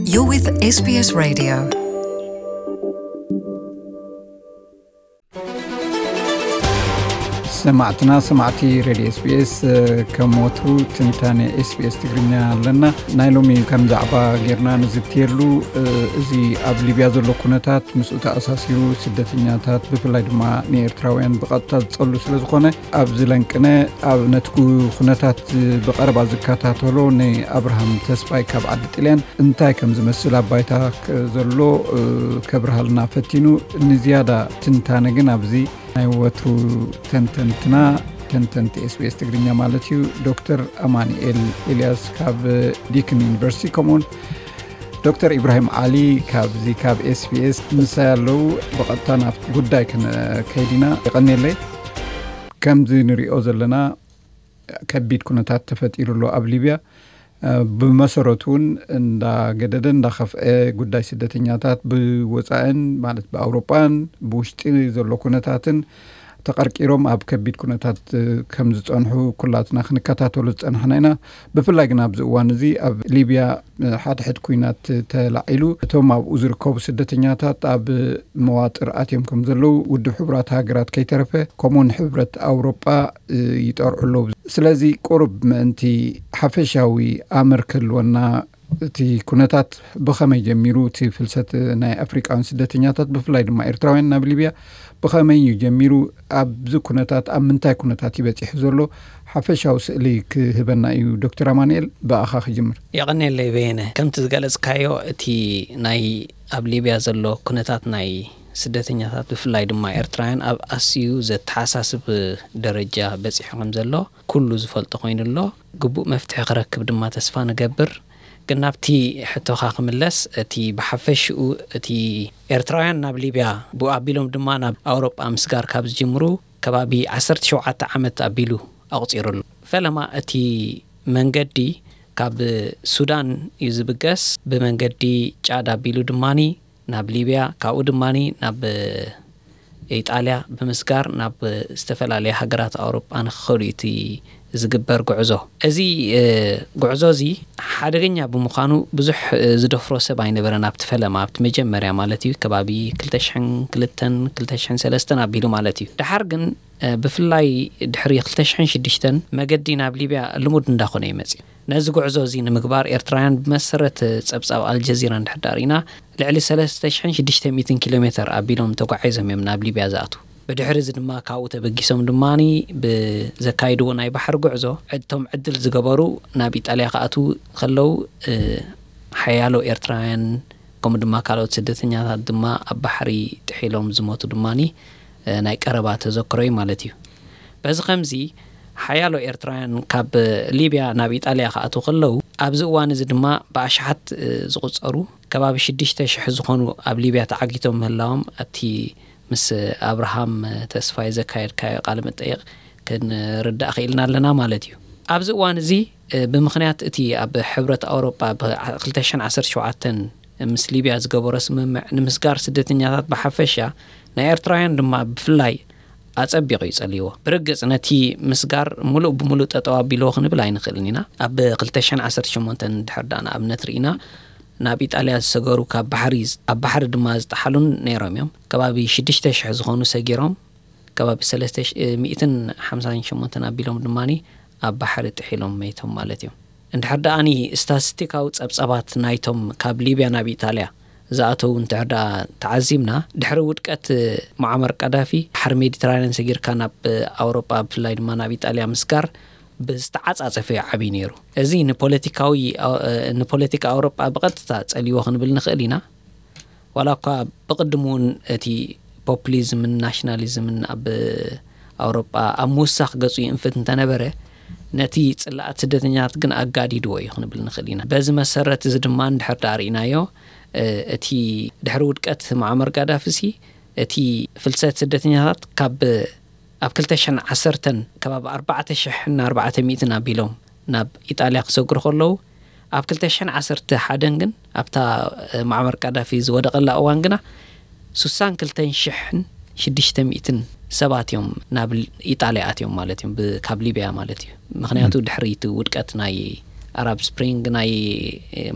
You're with S B S Radio. ሰማዕትና ሰማዕቲ ሬድዮ ኤስቢኤስ፣ ከም ወትሩ ትንታነ ኤስቢኤስ ትግርኛ ኣለና። ናይ ሎሚ ከም ዛዕባ ጌርና ንዝትየሉ፣ እዚ ኣብ ሊብያ ዘሎ ኩነታት፣ ምስኡ ተኣሳሲሩ ስደተኛታት፣ ብፍላይ ድማ ንኤርትራውያን ብቐጥታ ዝጸሉ ስለ ዝኾነ፣ ኣብዚ ለንቅነ ኣብ ነቲ ኩ-፣ ኩነታት ብቐረባ ዝከታተሎ ንኣብርሃም ተስፋይ ካብ ዓዲ ጥልያን እንታይ ከም ዝመስል ኣብ ባይታ ክ-፣ ዘሎ፣ እ፣ ከብርሃልና ፈቲኑ። ንዝያዳ ትንታነ ግን ኣብዚ ናይ ወትሩ ተንተንትና፣ ተንተንቲ ኤስቢኤስ ትግርኛ ማለት እዩ፣ ዶክተር ኣማኑኤል ኤልያስ ካብ ዲክን ዩኒቨርሲቲ፣ ከምኡውን ዶክተር ኢብራሂም ዓሊ ካብዚ ካብ ኤስቢኤስ ምሳይ ኣለዉ። ብቐጥታ ናብ ጉዳይ ክንከይድ ኢና። የቐንየለይ። ከምዚ ንሪኦ ዘለና ከቢድ ኩነታት ተፈጢሩ ኣሎ ኣብ ሊብያ። እ፣ ብመሰረቱ እውን እንዳገደደ እንዳኸፍአ ጉዳይ ስደተኛታት ብወፃእን ማለት ብኣውሮጳን ብውሽጢ ዘሎ ኩነታትን ተቐርቂሮም ኣብ ከቢድ ኩነታት፣ እ፣ ከም ዝጸንሑ ኩላትና ክንከታተሎ ዝጸናሕና ኢና። ብፍላይ ግን ኣብዚ እዋን እዚ ኣብ ሊብያ፣ እ፣ ሓድሕድ ኩናት ተላዒሉ እቶም ኣብኡ ዝርከቡ ስደተኛታት ኣብ መዋጥር ኣትዮም ከም ዘለዉ ውድብ ሕቡራት ሃገራት ከይተረፈ ከምኡውን ሕብረት ኣውሮጳ፣ እ፣ ይጠርዑ ኣለዉ። ስለዚ ቁሩብ ምእንቲ ሓፈሻዊ ኣምር ክህልወና እቲ ኩነታት ብኸመይ ጀሚሩ፣ እቲ ፍልሰት ናይ ኣፍሪቃውያን ስደተኛታት ብፍላይ ድማ ኤርትራውያን ናብ ሊብያ ብኸመይ እዩ ጀሚሩ፣ ኣብዚ ኩነታት ኣብ ምንታይ ኩነታት እዩ በጺሑ ዘሎ፣ ሓፈሻዊ ስእሊ ክህበና እዩ። ዶክተር ኣማኑኤል፣ ብኣኻ ክጅምር። የቐንየለይ በየነ። ከምቲ ዝገለጽካዮ፣ እቲ ናይ ኣብ ሊብያ ዘሎ ኩነታት ናይ ስደተኛታት ብፍላይ ድማ ኤርትራውያን ኣብ ኣስዩ ዘተሓሳስብ ደረጃ በጺሑ ከም ዘሎ ኩሉ ዝፈልጦ ኮይኑ ኣሎ። ግቡእ መፍትሒ ክረክብ ድማ ተስፋ ንገብር። ግን ናብቲ ሕቶኻ ክምለስ፣ እቲ ብሓፈሽኡ እቲ ኤርትራውያን ናብ ሊብያ ብኡ ኣቢሎም ድማ ናብ ኣውሮጳ ምስጋር ካብ ዝጅምሩ ከባቢ ዓሰርተ ሸውዓተ ዓመት ኣቢሉ ኣቑጺሩ ኣሎ። ፈለማ እቲ መንገዲ ካብ ሱዳን እዩ ዝብገስ። ብመንገዲ ጫድ ኣቢሉ ድማኒ ናብ ሊብያ፣ ካብኡ ድማኒ ናብ ኢጣልያ ብምስጋር ናብ ዝተፈላለያ ሃገራት ኣውሮጳ ንክኸዱ እዩ እቲ ዝግበር ጉዕዞ። እዚ፣ እ፣ ጉዕዞ እዚ ሓደገኛ ብምዃኑ ብዙሕ፣ እ፣ ዝደፍሮ ሰብ ኣይነበረን ኣብቲ ፈለማ፣ ኣብቲ መጀመርያ ማለት እዩ፣ ከባቢ ክልተ ሽሕን ክልተን ክልተ ሽሕን ሰለስተን ኣቢሉ ማለት እዩ። ደሓር ግን፣ እ፣ ብፍላይ ድሕሪ ክልተ ሽሕን ሽዱሽተን መገዲ ናብ ሊብያ ልሙድ እንዳኾነ እዩ መጺኡ። ነዚ ጉዕዞ እዚ ንምግባር ኤርትራውያን ብመሰረት ጸብጻብ ኣልጀዚራ እንድሕር ዳኣ ርኢና ልዕሊ ሰለስተ ሽሕን ሽዱሽተ ሚእትን ኪሎ ሜተር ኣቢሎም ተጓዒዞም እዮም ናብ ሊብያ ዝኣትዉ። ብድሕሪ እዚ ድማ ካብኡ ተበጊሶም ድማኒ ብዘካይድዎ ናይ ባሕሪ ጉዕዞ ዕድቶም ዕድል ዝገበሩ ናብ ኢጣልያ ክኣትዉ ከለዉ፣ እ፣ ሓያሎ ኤርትራውያን ከምኡ ድማ ካልኦት ስደተኛታት ድማ ኣብ ባሕሪ ጥሒሎም ዝሞቱ ድማኒ፣ እ፣ ናይ ቀረባ ተዘክሮ እዩ ማለት እዩ። በዚ ከምዚ ሓያሎ ኤርትራውያን ካብ ሊብያ ናብ ኢጣልያ ክኣትዉ ከለዉ፣ ኣብዚ እዋን እዚ ድማ ብኣሽሓት፣ እ፣ ዝቑጸሩ ከባቢ ሽዱሽተ ሽሕ ዝኾኑ ኣብ ሊብያ ተዓጊቶም ምህላዎም ኣብቲ ምስ ኣብርሃም ተስፋይ ዘካየድካዮ ቃለ መጠይቕ ክንርዳእ ክኢልና ኣለና ማለት እዩ። ኣብዚ እዋን እዚ፣ እ፣ ብምኽንያት እቲ ኣብ ሕብረት ኣውሮጳ ብ ክልተ ሽሕን ዓሰርተ ሸውዓተን ምስ ሊብያ ዝገበሮ ስምምዕ ንምስጋር ስደተኛታት ብሓፈሻ ናይ ኤርትራውያን ድማ ብፍላይ ኣጸቢቑ እዩ ጸልይዎ። ብርግጽ ነቲ ምስጋር ምሉእ ብምሉእ ጠጠው ኣቢልዎ ክንብል ኣይንኽእልን ኢና። ኣብ ክልተ ሽሕን ዓሰርተ ሸሞንተን እንድሕር ደኣ ንኣብነት ርኢና፣ ናብ ኢጣልያ ዝሰገሩ ካብ ባሕሪ፣ ኣብ ባሕሪ ድማ ዝጠሓሉን ነይሮም እዮም። ከባቢ ሽዱሽተ ሽሕ ዝኾኑ ሰጊሮም፣ ከባቢ ሰለስተ ሚእትን ሓምሳን ሸሞንተን ኣቢሎም ድማኒ ኣብ ባሕሪ ጥሒሎም መይቶም ማለት እዮም። እንድሕር ደኣኒ ስታቲስቲካዊ ጸብጻባት ናይቶም ካብ ሊብያ ናብ ኢጣልያ ዝኣተዉ እንድሕር ደኣ ተዓዚብና፣ ድሕሪ ውድቀት ሙዓመር ቀዳፊ ባሕሪ ሜዲትራንያን ሰጊርካ ናብ ኣውሮጳ፣ ብፍላይ ድማ ናብ ኢጣልያ ምስጋር ብዝተዓጻጸፈ እዩ ዓብዪ ነይሩ። እዚ ንፖለቲካዊ፣ ንፖለቲካ ኣውሮጳ ብቐጥታ ጸልይዎ ክንብል ንኽእል ኢና። ዋላ እኳ ብቕድሙ እውን እቲ ፖፑሊዝምን ናሽናሊዝምን ኣብ ኣውሮጳ ኣብ ምውሳኽ ገጹ ይእንፍት እንተነበረ፣ ነቲ ጽላኣት ስደተኛታት ግን ኣጋዲድዎ እዩ ክንብል ንኽእል ኢና። በዚ መሰረት እዚ ድማ እንድሕር ደኣ ርኢናዮ፣ እ፣ እቲ ድሕሪ ውድቀት ሙዓመር ጋዳፊ ሲ፣ እቲ ፍልሰት ስደተኛታት ካብ ኣብ ክልተ ሽሕን ዓሰርተን ከባቢ ኣርባዕተ ሽሕን ኣርባዕተ ሚእትን ኣቢሎም ናብ ኢጣልያ ክሰግሩ ከለዉ፣ ኣብ ክልተ ሽሕን ዓሰርተ ሓደን ግን ኣብታ፣ እ፣ ሙዓመር ጋዳፊ ዝወደቐላ እዋን ግና ሱሳን ክልተን ሽሕን ሽዱሽተ ሚእትን ሰባት እዮም ናብ ል-፣ ኢጣልያ ኣትዮም ማለት እዮም፣ ብ-፣ ካብ ሊብያ ማለት እዩ። ምኽንያቱ ም። ድሕሪ እቲ ውድቀት ናይ ኣራብ ስፕሪንግ፣ ናይ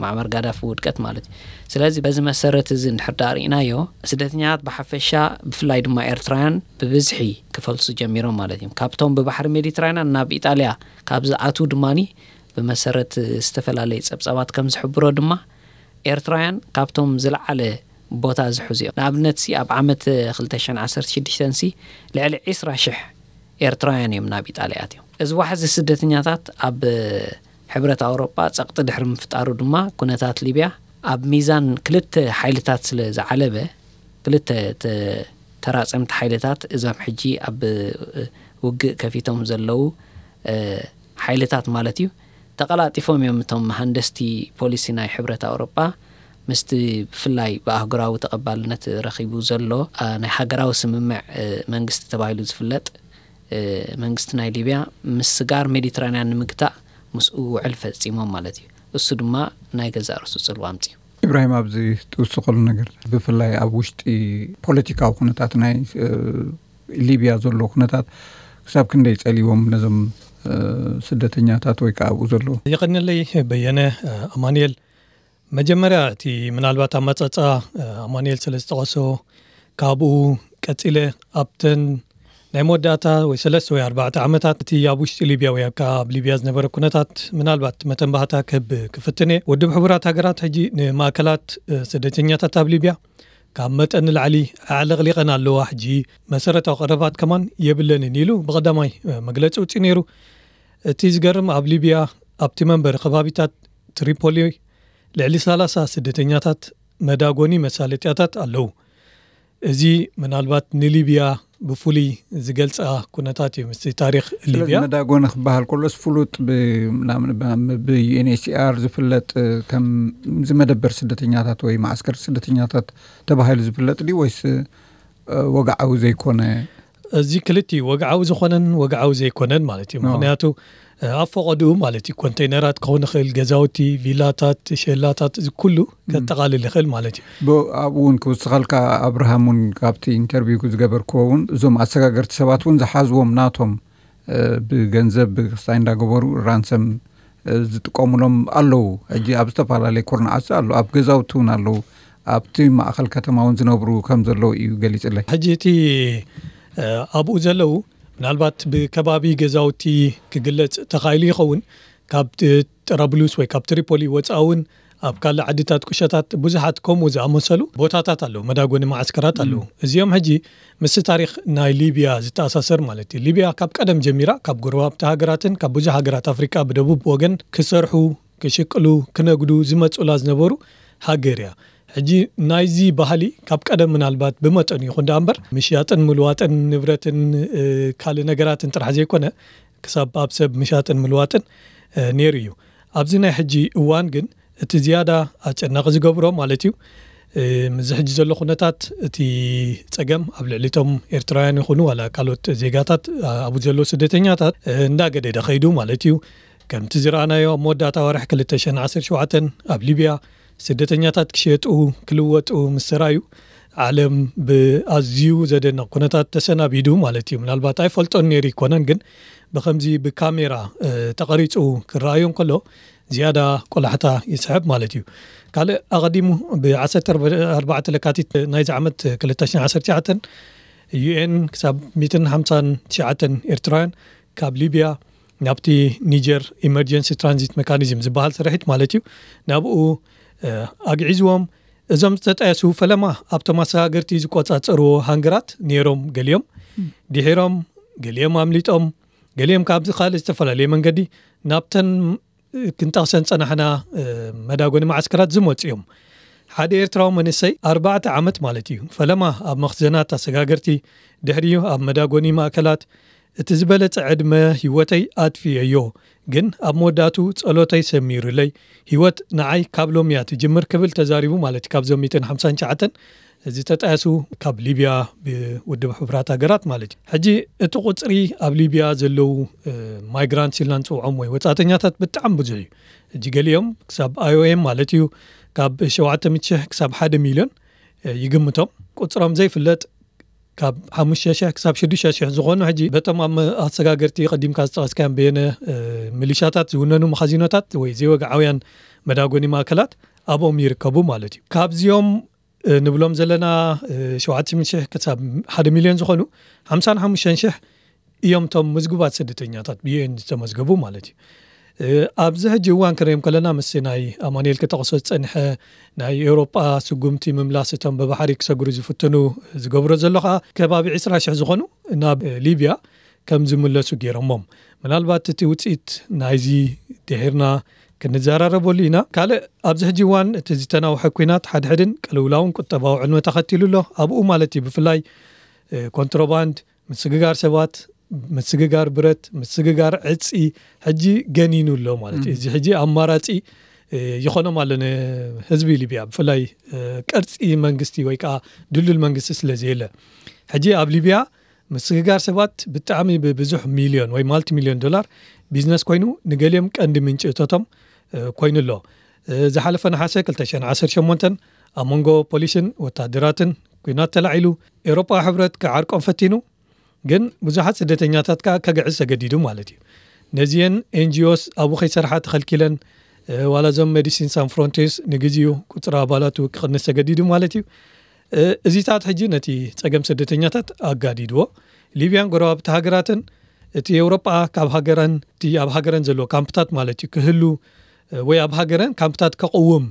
ማዕመር ጋዳፊ ውድቀት ማለት እዩ። ስለዚ በዚ መሰረት እዚ እንድሕር ዳኣ ርኢናዮ፣ ስደተኛታት ብሓፈሻ፣ ብፍላይ ድማ ኤርትራውያን ብብዝሒ ክፈልሱ ጀሚሮም ማለት እዮም። ካብቶም ብባሕሪ ሜዲትራንያን ናብ ኢጣልያ ካብ ዝኣትዉ ድማኒ፣ ብመሰረት ዝተፈላለየ ጸብጻባት ከም ዝሕብሮ ድማ፣ ኤርትራውያን ካብቶም ዝለዓለ ቦታ ዝሕዙ እዮም። ንኣብነት ሲ፣ ኣብ ዓመት ክልተ ሽሕን ዓሰርተ ሽዱሽተን ሲ፣ ልዕሊ ዕስራ ሽሕ ኤርትራውያን እዮም ናብ ኢጣልያ ኣትዮም። እዚ ዋሕዚ ስደተኛታት ኣብ ሕብረት ኣውሮጳ ጸቕጢ ድሕሪ ምፍጣሩ ድማ፣ ኩነታት ሊብያ ኣብ ሚዛን ክልተ ሓይልታት ስለ ዝዓለበ፣ ክልተ ተ-፣ ተራጸምቲ ሓይልታት፣ እዞም ሕጂ ኣብ ውግእ ከፊቶም ዘለዉ፣ እ፣ ሓይልታት ማለት እዩ፣ ተቐላጢፎም እዮም እቶም መሃንደስቲ ፖሊሲ ናይ ሕብረት ኣውሮጳ ምስቲ ብፍላይ ብኣህጉራዊ ተቐባልነት ረኺቡ ዘሎ፣ እ፣ ናይ ሃገራዊ ስምምዕ፣ እ፣ መንግስቲ ተባሂሉ ዝፍለጥ፣ እ፣ መንግስቲ ናይ ሊብያ ምስጋር ሜዲትራንያን ንምግታእ ምስኡ ውዕል ፈጺሞም ማለት እዩ። እሱ ድማ ናይ ገዛእ ርእሱ ጽልዋ ኣምጺኡ። ኢብራሂም፣ ኣብዚ ትውስኸሉ ነገር፣ ብፍላይ ኣብ ውሽጢ ፖለቲካዊ ኩነታት ናይ፣ እ፣ ሊብያ ዘሎ ኩነታት ክሳብ ክንደይ ጸልዎም ነዞም፣ እ፣ ስደተኛታት ወይ ከኣ ኣብኡ ዘሎ? የቐንየለይ በየነ፣ እ፣ ኣማኑኤል። መጀመርያ እቲ ምናልባት ኣመጻጽኣ፣ እ፣ ኣማኑኤል ስለ ዝጠቐሶ፣ ካብኡ ቀጺለ ኣብተን ናይ መወዳእታ ወይ ሰለስተ ወይ ኣርባዕተ ዓመታት እቲ ኣብ ውሽጢ ሊብያ ወይ ኣብ፣ ኣብ ሊብያ ዝነበረ ኩነታት ምናልባት መተንባህታ ክህብ ክፍትን እየ። ውድብ ሕቡራት ሃገራት ሕጂ ንማእከላት፣ እ፣ ስደተኛታት ኣብ ሊብያ ካብ መጠን ንላዕሊ ኣዕለቕሊቐን ኣለዋ። ሕጂ መሰረታዊ ቀረባት ከማን የብለንን ኢሉ ብቐዳማይ፣ እ፣ መግለጺ ኣውጺኡ ነይሩ። እቲ ዝገርም ኣብ ሊብያ ኣብቲ መንበሪ ከባቢታት ትሪፖሊ ልዕሊ ሰላሳ ስደተኛታት መዳጎኒ መሳለጥያታት ኣለዉ። እዚ ምናልባት ንሊብያ ብፍሉይ ዝገልጻ ኩነታት እዩ፣ ምስቲ ታሪኽ ስለዚ ሊብያ። መዳጎኒ ክበሃል ከሎስ ፍሉጥ ብ-፣ ናብ-፣ ናብ-፣ ብ-፣ ዩ ኤን ኤች ሲ ኣር ዝፍለጥ፣ ከም እዚ መደበር ስደተኛታት ወይ መዓስከር ስደተኛታት ተባሂሉ ዝፍለጥ ድዩ ወይስ፣ እ፣ ወግዓዊ ዘይኮነ? እዚ ክልቲኡ፣ ወግዓዊ ዝኾነን ወግዓዊ ዘይኮነን ማለት እዩ። ኣዎ። ምኽንያቱ፣ እ፣ ኣብ ፈቐድኡ ማለት እዩ፣ ኮንቴይነራት ክኸውን ይኽእል፣ ገዛውቲ፣ ቪላታት፣ ሼላታት፣ እዚ ኩሉ እም። ከጠቓልል ይኽእል ማለት እዩ። ብ-፣ ኣብኡ እውን ክውስኸልካ፣ ኣብርሃም እውን ካብቲ ኢንተርቪው ዝገበርክዎ እውን፣ እዞም ኣሰጋገርቲ ሰባት እውን ዝሓዝዎም ናቶም፣ እ፣ ብገንዘብ ክስታይ እንዳገበሩ ራንሰም፣ እ፣ ዝጥቀሙሎም ኣለዉ። ሕጂ ኣብ ዝተፈላለየ ኩርናዓት ኣሎ፣ ኣብ ገዛውቲ እውን ኣለዉ፣ ኣብቲ ማእኸል ከተማ እውን ዝነብሩ ከም ዘለዉ እዩ ገሊጽለይ። ሕጂ እቲ፣ እ፣ ኣብኡ ዘለዉ ምናልባት ብከባቢ ገዛውቲ ክግለጽ ተኻኢሉ ይኸውን። ካብ ጥ-፣ ጥራብሉስ ወይ ካብ ትሪፖሊ ወጻኢ እውን ኣብ ካልእ ዓድታት፣ ቁሸታት፣ ብዙሓት ከምኡ ዝኣመሰሉ ቦታታት ኣለዉ፣ መዳጎኒ መዓስከራት ኣለዉ። እም። እዚኦም ሕጂ ምስቲ ታሪኽ ናይ ሊብያ ዝተኣሳሰር ማለት እዩ። ሊብያ ካብ ቀደም ጀሚራ ካብ ጎረባብቲ ሃገራትን ካብ ብዙሕ ሃገራት ኣፍሪቃ ብደቡብ ወገን ክሰርሑ፣ ክሽቅሉ፣ ክነግዱ ዝመጹላ ዝነበሩ ሃገር እያ። ሕጂ ናይዚ ባህሊ ካብ ቀደም ምናልባት ብመጠኑ ይኹን ደኣ እምበር፣ ምሽያጥን ምልዋጥን ንብረትን፣ እ፣ ካልእ ነገራትን ጥራሕ ዘይኮነ፣ ክሳብ ኣብ ሰብ ምሻጥን ምልዋጥን፣ እ፣ ነይሩ እዩ። ኣብዚ ናይ ሕጂ እዋን ግን እቲ ዝያዳ ኣጨናቒ ዝገብሮ ማለት እዩ፣ እ፣ ምስዚ ሕጂ ዘሎ ኩነታት እቲ ጸገም ኣብ ልዕሊ እቶም ኤርትራውያን ይኹኑ ዋላ ካልኦት ዜጋታት፣ እ፣ ኣብኡ ዘለዉ ስደተኛታት፣ እ፣ እንዳገደደ ኸይዱ ማለት እዩ። ከምቲ ዝረኣናዮ ኣብ መወዳእታ ወርሒ ክልተ ሽሕን ዓሰርተ ሸውዓተን ኣብ ሊብያ ስደተኛታት ክሸጡ፣ ክልወጡ ምስ ተራእዩ፣ ዓለም ብኣዝዩ ዘደንቕ ኩነታት ተሰናቢዱ ማለት እዩ። ምናልባት ኣይፈልጦን ነይሩ ይኮነን፣ ግን ብኸምዚ ብካሜራ፣ እ፣ ተቐሪጹ ክረኣዮ እንከሎ ዝያዳ ቆላሕታ ይስሕብ ማለት እዩ። ካልእ ኣቐዲሙ ብ ዓሰርተ ኣርባዕተ ለካቲት ናይዚ ዓመት ክልተ ሽሕን ዓሰርተ ትሽዓተን ዩ ኤን ክሳብ ሚእትን ሓምሳን ትሽዓተን ኤርትራውያን ካብ ሊብያ ናብቲ ኒጀር ኢመርጀንሲ ትራንዚት ሜካኒዝም ዝበሃል ስርሒት ማለት እዩ፣ ናብኡ፣ እ፣ ኣግዒዝዎም። እዞም ዝተጣየሱ ፈለማ ኣብቶም ኣሰጋገርቲ ዝቆጻጸርዎ ሃንገራት ነይሮም ገሊኦም። ድሒሮም ገሊኦም ኣምሊጦም፣ ገሊኦም ካብዚ ካልእ ዝተፈላለየ መንገዲ ናብተን ክንጠቕሰን ጸናሕና፣ እ፣ መዳጎኒ መዓስከራት ዝመጹ እዮም። ሓደ ኤርትራዊ መንእሰይ ኣርባዕተ ዓመት ማለት እዩ፣ ፈለማ ኣብ መኽዘናት ኣሰጋገርቲ፣ ድሕሪኡ ኣብ መዳጎኒ ማእከላት፣ እቲ ዝበለጸ ዕድመ ህይወተይ ኣጥፊኤዮ፣ ግን ኣብ መወዳእቱ ጸሎተይ ሰሚሩለይ፣ ህይወት ንዓይ ካብ ሎሚ እያ ትጅምር ክብል ተዛሪቡ ማለት እዩ። ካብዞም ሚእትን ሓምሳን ትሽዓተን ዝተጣየሱ ካብ ሊብያ ብውድብ ሕቡራት ሃገራት ማለት እዩ። ሕጂ እቲ ቁጽሪ ኣብ ሊብያ ዘለዉ፣ እ፣ ማይግራንትስ ኢልና ንጽውዖም ወይ ወጻእተኛታት ብጣዕሚ ብዙሕ እዩ። ሕጂ ገሊኦም ክሳብ ኣይ ኦ ኤም ማለት እዩ ካብ ሸውዓተ ሚእቲ ሽሕ ክሳብ ሓደ ሚልዮን፣ እ፣ ይግምቶም። ቁጽሮም ዘይፍለጥ ካብ ሓሙሽተ ሽሕ ክሳብ ሽዱሽተ ሽሕ ዝኾኑ ሕጂ በቶም ኣብ ኣሰጋገርቲ ቀዲምካ ዝጠቐስካዮም በየነ ሚሊሻታት ዝውነኑ መኻዚኖታት ወይ ዘይወግዓውያን መዳጎኒ ማእከላት ኣብኦም ይርከቡ ማለት እዩ። ካብዚኦም ንብሎም ዘለና ሸውዓተ ሽሕ ክሳብ ሓደ ሚልዮን ዝኾኑ ሓምሳን ሓሙሽተን ሽሕ እዮም እቶም ምዝጉባት ስደተኛታት ብዩኤን ዝተመዝገቡ ማለት እዩ። ኣብዚ ሕጂ እዋን ክንሪኦም ከለና ምስ ናይ ኣማኑኤል ክጠቕሶ ዝጸንሐ ናይ ኤውሮጳ ስጉምቲ ምምላስ እቶም ብባሕሪ ክሰግሩ ዝፍትኑ ዝገብሮ ዘሎ ከኣ ከባቢ ዕስራ ሽሕ ዝኾኑ ናብ ሊብያ ከም ዝምለሱ ገይሮሞም። ምናልባት እቲ ውጽኢት ናይዚ ድሒርና ክንዘራረበሉ ኢና። ካልእ ኣብዚ ሕጂ እዋን እቲ ዝተናውሐ ኲናት ሓድሕድን ቅልውላውን ቁጠባዊ ዕንወት ኣኸቲሉ ኣሎ። ኣብኡ ማለት እዩ ብፍላይ ኮንትሮባንድ፣ ምስግጋር ሰባት፣ ምስግጋር ብረት፣ ምስግጋር ዕጺ ሕጂ ገኒኑ ኣሎ ማለት እዩ። እዚ ሕጂ ኣማራጺ ይኾኖም ኣሎ ንህዝቢ ሊብያ፣ ብፍላይ ቅርጺ መንግስቲ ወይ ከዓ ድልዱል መንግስቲ ስለ ዘየለ። ሕጂ ኣብ ሊብያ ምስግጋር ሰባት ብጣዕሚ ብብዙሕ ሚልዮን ወይ ማልቲ ሚልዮን ዶላር ቢዝነስ ኮይኑ ንገሊኦም ቀንዲ ምንጪ እቶቶም ኮይኑ ኣሎ። ዝሓለፈ ነሓሰ ክልተ ሽሕን ዓሰርተ ሸሞንተን ኣብ መንጎ ፖሊስን ወታደራትን ኲናት ተላዒሉ፣ ኤውሮጳዊ ሕብረት ክዓርቆም ፈቲኑ፣ ግን ብዙሓት ስደተኛታት ከኣ ከግዕዝ ተገዲዱ ማለት እዩ። ነዚኤን ኤንጂኦስ ኣብኡ ከይሰርሓ ተኸልኪለን፣ ዋላ እዞም ሜዲሲን ሳን ፍሮንቲርስ ንግዜኡ ቁጽሪ ኣባላቱ ክቕንስ ተገዲዱ ማለት እዩ። እዚታት ሕጂ ነቲ ጸገም ስደተኛታት ኣጋዲድዎ። ሊብያን ጎረባብቲ ሃገራትን እቲ ኤውሮጳ ካብ ሃገረን፣ እቲ ኣብ ሃገረን ዘለዎ ካምፕታት ማለት እዩ ክህሉ ወይ ኣብ ሃገረን ካምፕታት ከቕውም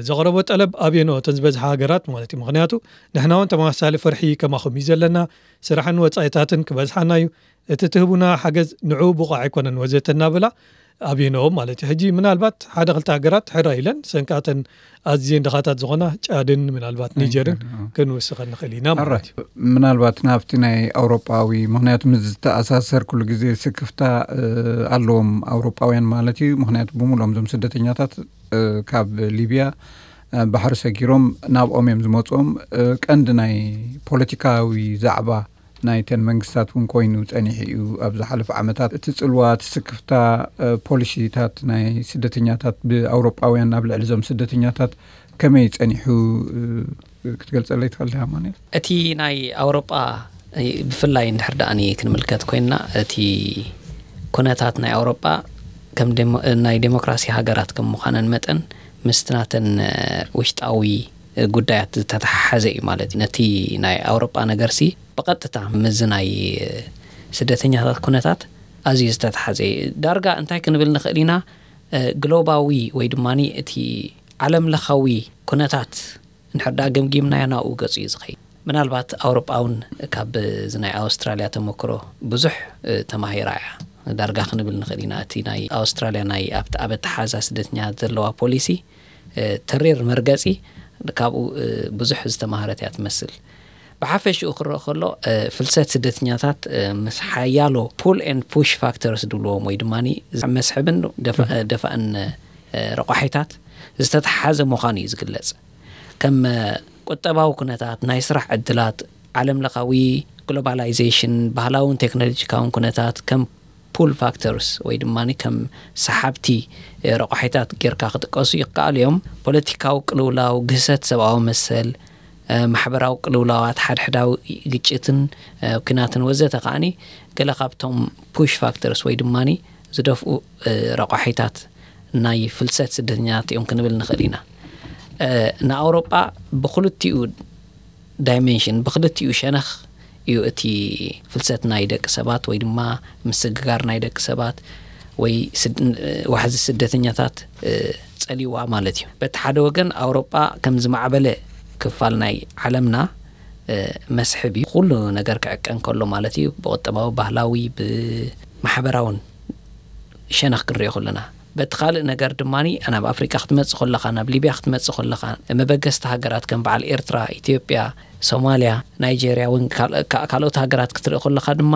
ዘቕረቦ ጠለብ ኣብየንኦ እተን ዝበዝሓ ሃገራት ማለት እዩ። ምኽንያቱ ንሕና እውን ተመሳሳሊ ፍርሒ ከማኹም እዩ ዘለና፣ ስራሕን ወጻኢታትን ክበዝሓና እዩ፣ እቲ ትህቡና ሓገዝ ንዕኡ ብቑዕ ኣይኮነን ወዘተ እናበላ ኣብየንኦ ማለት እዩ። ሕጂ ምናልባት ሓደ ክልተ ሃገራት ሕራ ኢለን ሰንካተን ኣዝየን ድኻታት ዝኾና ጫድን ምናልባት ኒጀርን ክንውስኸ ንኽእል ኢና ማለት እዩ። ምናልባት ናብቲ ናይ ኣውሮጳዊ፣ ምኽንያቱ ምስ ዝተኣሳሰር ኩሉ ግዜ ስክፍታ ኣለዎም ኣውሮጳውያን ማለት እዩ። ምኽንያቱ ብምሉኦም እዞም ስደተኛታት ካብ ሊብያ ባሕሪ ሰጊሮም ናብኦም እዮም ዝመፅኦም። ቀንዲ ናይ ፖለቲካዊ ዛዕባ ናይተን መንግስታት እውን ኮይኑ ፀኒሑ እዩ። ኣብ ዝሓለፈ ዓመታት እቲ ፅልዋ፣ እቲ ስክፍታ፣ ፖሊሲታት ናይ ስደተኛታት ብኣውሮጳውያን ኣብ ልዕሊ እዞም ስደተኛታት ከመይ ፀኒሑ ክትገልፀለይ ትኽእል ዲኻ ኣማኑኤል? እቲ ናይ ኣውሮጳ ብፍላይ እንድሕር ደኣኒ ክንምልከት ኮይንና እቲ ኩነታት ናይ ኣውሮጳ ከም ናይ ዴሞክራሲ ሃገራት ከም ምዃነን መጠን ምስቲ ናተን ውሽጣዊ ጉዳያት ዝተተሓሓዘ እዩ ማለት እዩ። ነቲ ናይ ኣውሮጳ ነገርሲ ብቐጥታ ምስዚ ናይ ስደተኛታት ኩነታት ኣዝዩ ዝተተሓዘ እዩ። ዳርጋ እንታይ ክንብል ንኽእል ኢና? ግሎባዊ ወይ ድማ እቲ ዓለም ለኻዊ ኩነታት እንድሕር ደኣ ገምጊምናዮ ናብኡ ገጹ እዩ ዝኸይድ። ምናልባት ኣውሮጳ እውን ካብ እዚ ናይ ኣውስትራልያ ተመክሮ ብዙሕ ተማሂራ እያ ዳርጋ ክንብል ንኽእል ኢና። እቲ ናይ ኣውስትራልያ ናይ ኣብቲ ኣብ ኣተሓዛ ስደተኛታት ዘለዋ ፖሊሲ ተሪር መርገጺ ካብኡ ብዙሕ ዝተማህረት እያ ትመስል። ብሓፈሽኡ ክረአ ከሎ ፍልሰት ስደተኛታት ምስ ሓያሎ pull and push factors ድብልዎም ወይ ድማ መስሕብን ደፋእን ረቋሒታት ዝተተሓሓዘ ምዃኑ እዩ ዝግለጽ። ከም ቁጠባዊ ኩነታት፣ ናይ ስራሕ ዕድላት፣ ዓለም ለኻዊ ግሎባላይዜሽን፣ ባህላውን ቴክኖሎጂካውን ኩነታት ከም pull factors ወይ ድማ ከም ሰሓብቲ ረቋሒታት ጌርካ ክጥቀሱ ይከኣሉ እዮም። ፖለቲካዊ ቅልውላው፣ ግህሰት ሰብኣዊ መሰል፣ ማሕበራዊ ቅልውላዋት፣ ሓድሕዳዊ ግጭትን ኩናትን ወዘተ ከዓኒ ገለ ካብቶም push factors ወይ ድማ ዝደፍኡ ረቋሒታት ናይ ፍልሰት ስደተኛታት እዮም ክንብል ንኽእል ኢና። ንኣውሮጳ ብክልቲኡ ዳይሜንሽን ብክልቲኡ ሸነኽ እዩ እቲ ፍልሰት ናይ ደቂ ሰባት ወይ ድማ ምስግጋር ናይ ደቂ ሰባት ወይ ዋሕዚ ስደተኛታት ጸልይዋ ማለት እዩ። በቲ ሓደ ወገን ኣውሮጳ ከም ዝማዕበለ ክፋል ናይ ዓለምና መስሕብ እዩ። ኩሉ ነገር ክዕቀን ከሎ ማለት እዩ፣ ብቁጠባዊ፣ ባህላዊ፣ ብማሕበራውን ሸነኽ ክንሪኦ ከለና። በቲ ካልእ ነገር ድማ ናብ ኣፍሪቃ ክትመጽእ ከለኻ፣ ናብ ሊብያ ክትመጽእ ከለኻ፣ መበገስቲ ሃገራት ከም በዓል ኤርትራ፣ ኢትዮጵያ፣ ሶማልያ፣ ናይጄርያ እውን ካልኦት ሃገራት ክትርኢ ከለኻ ድማ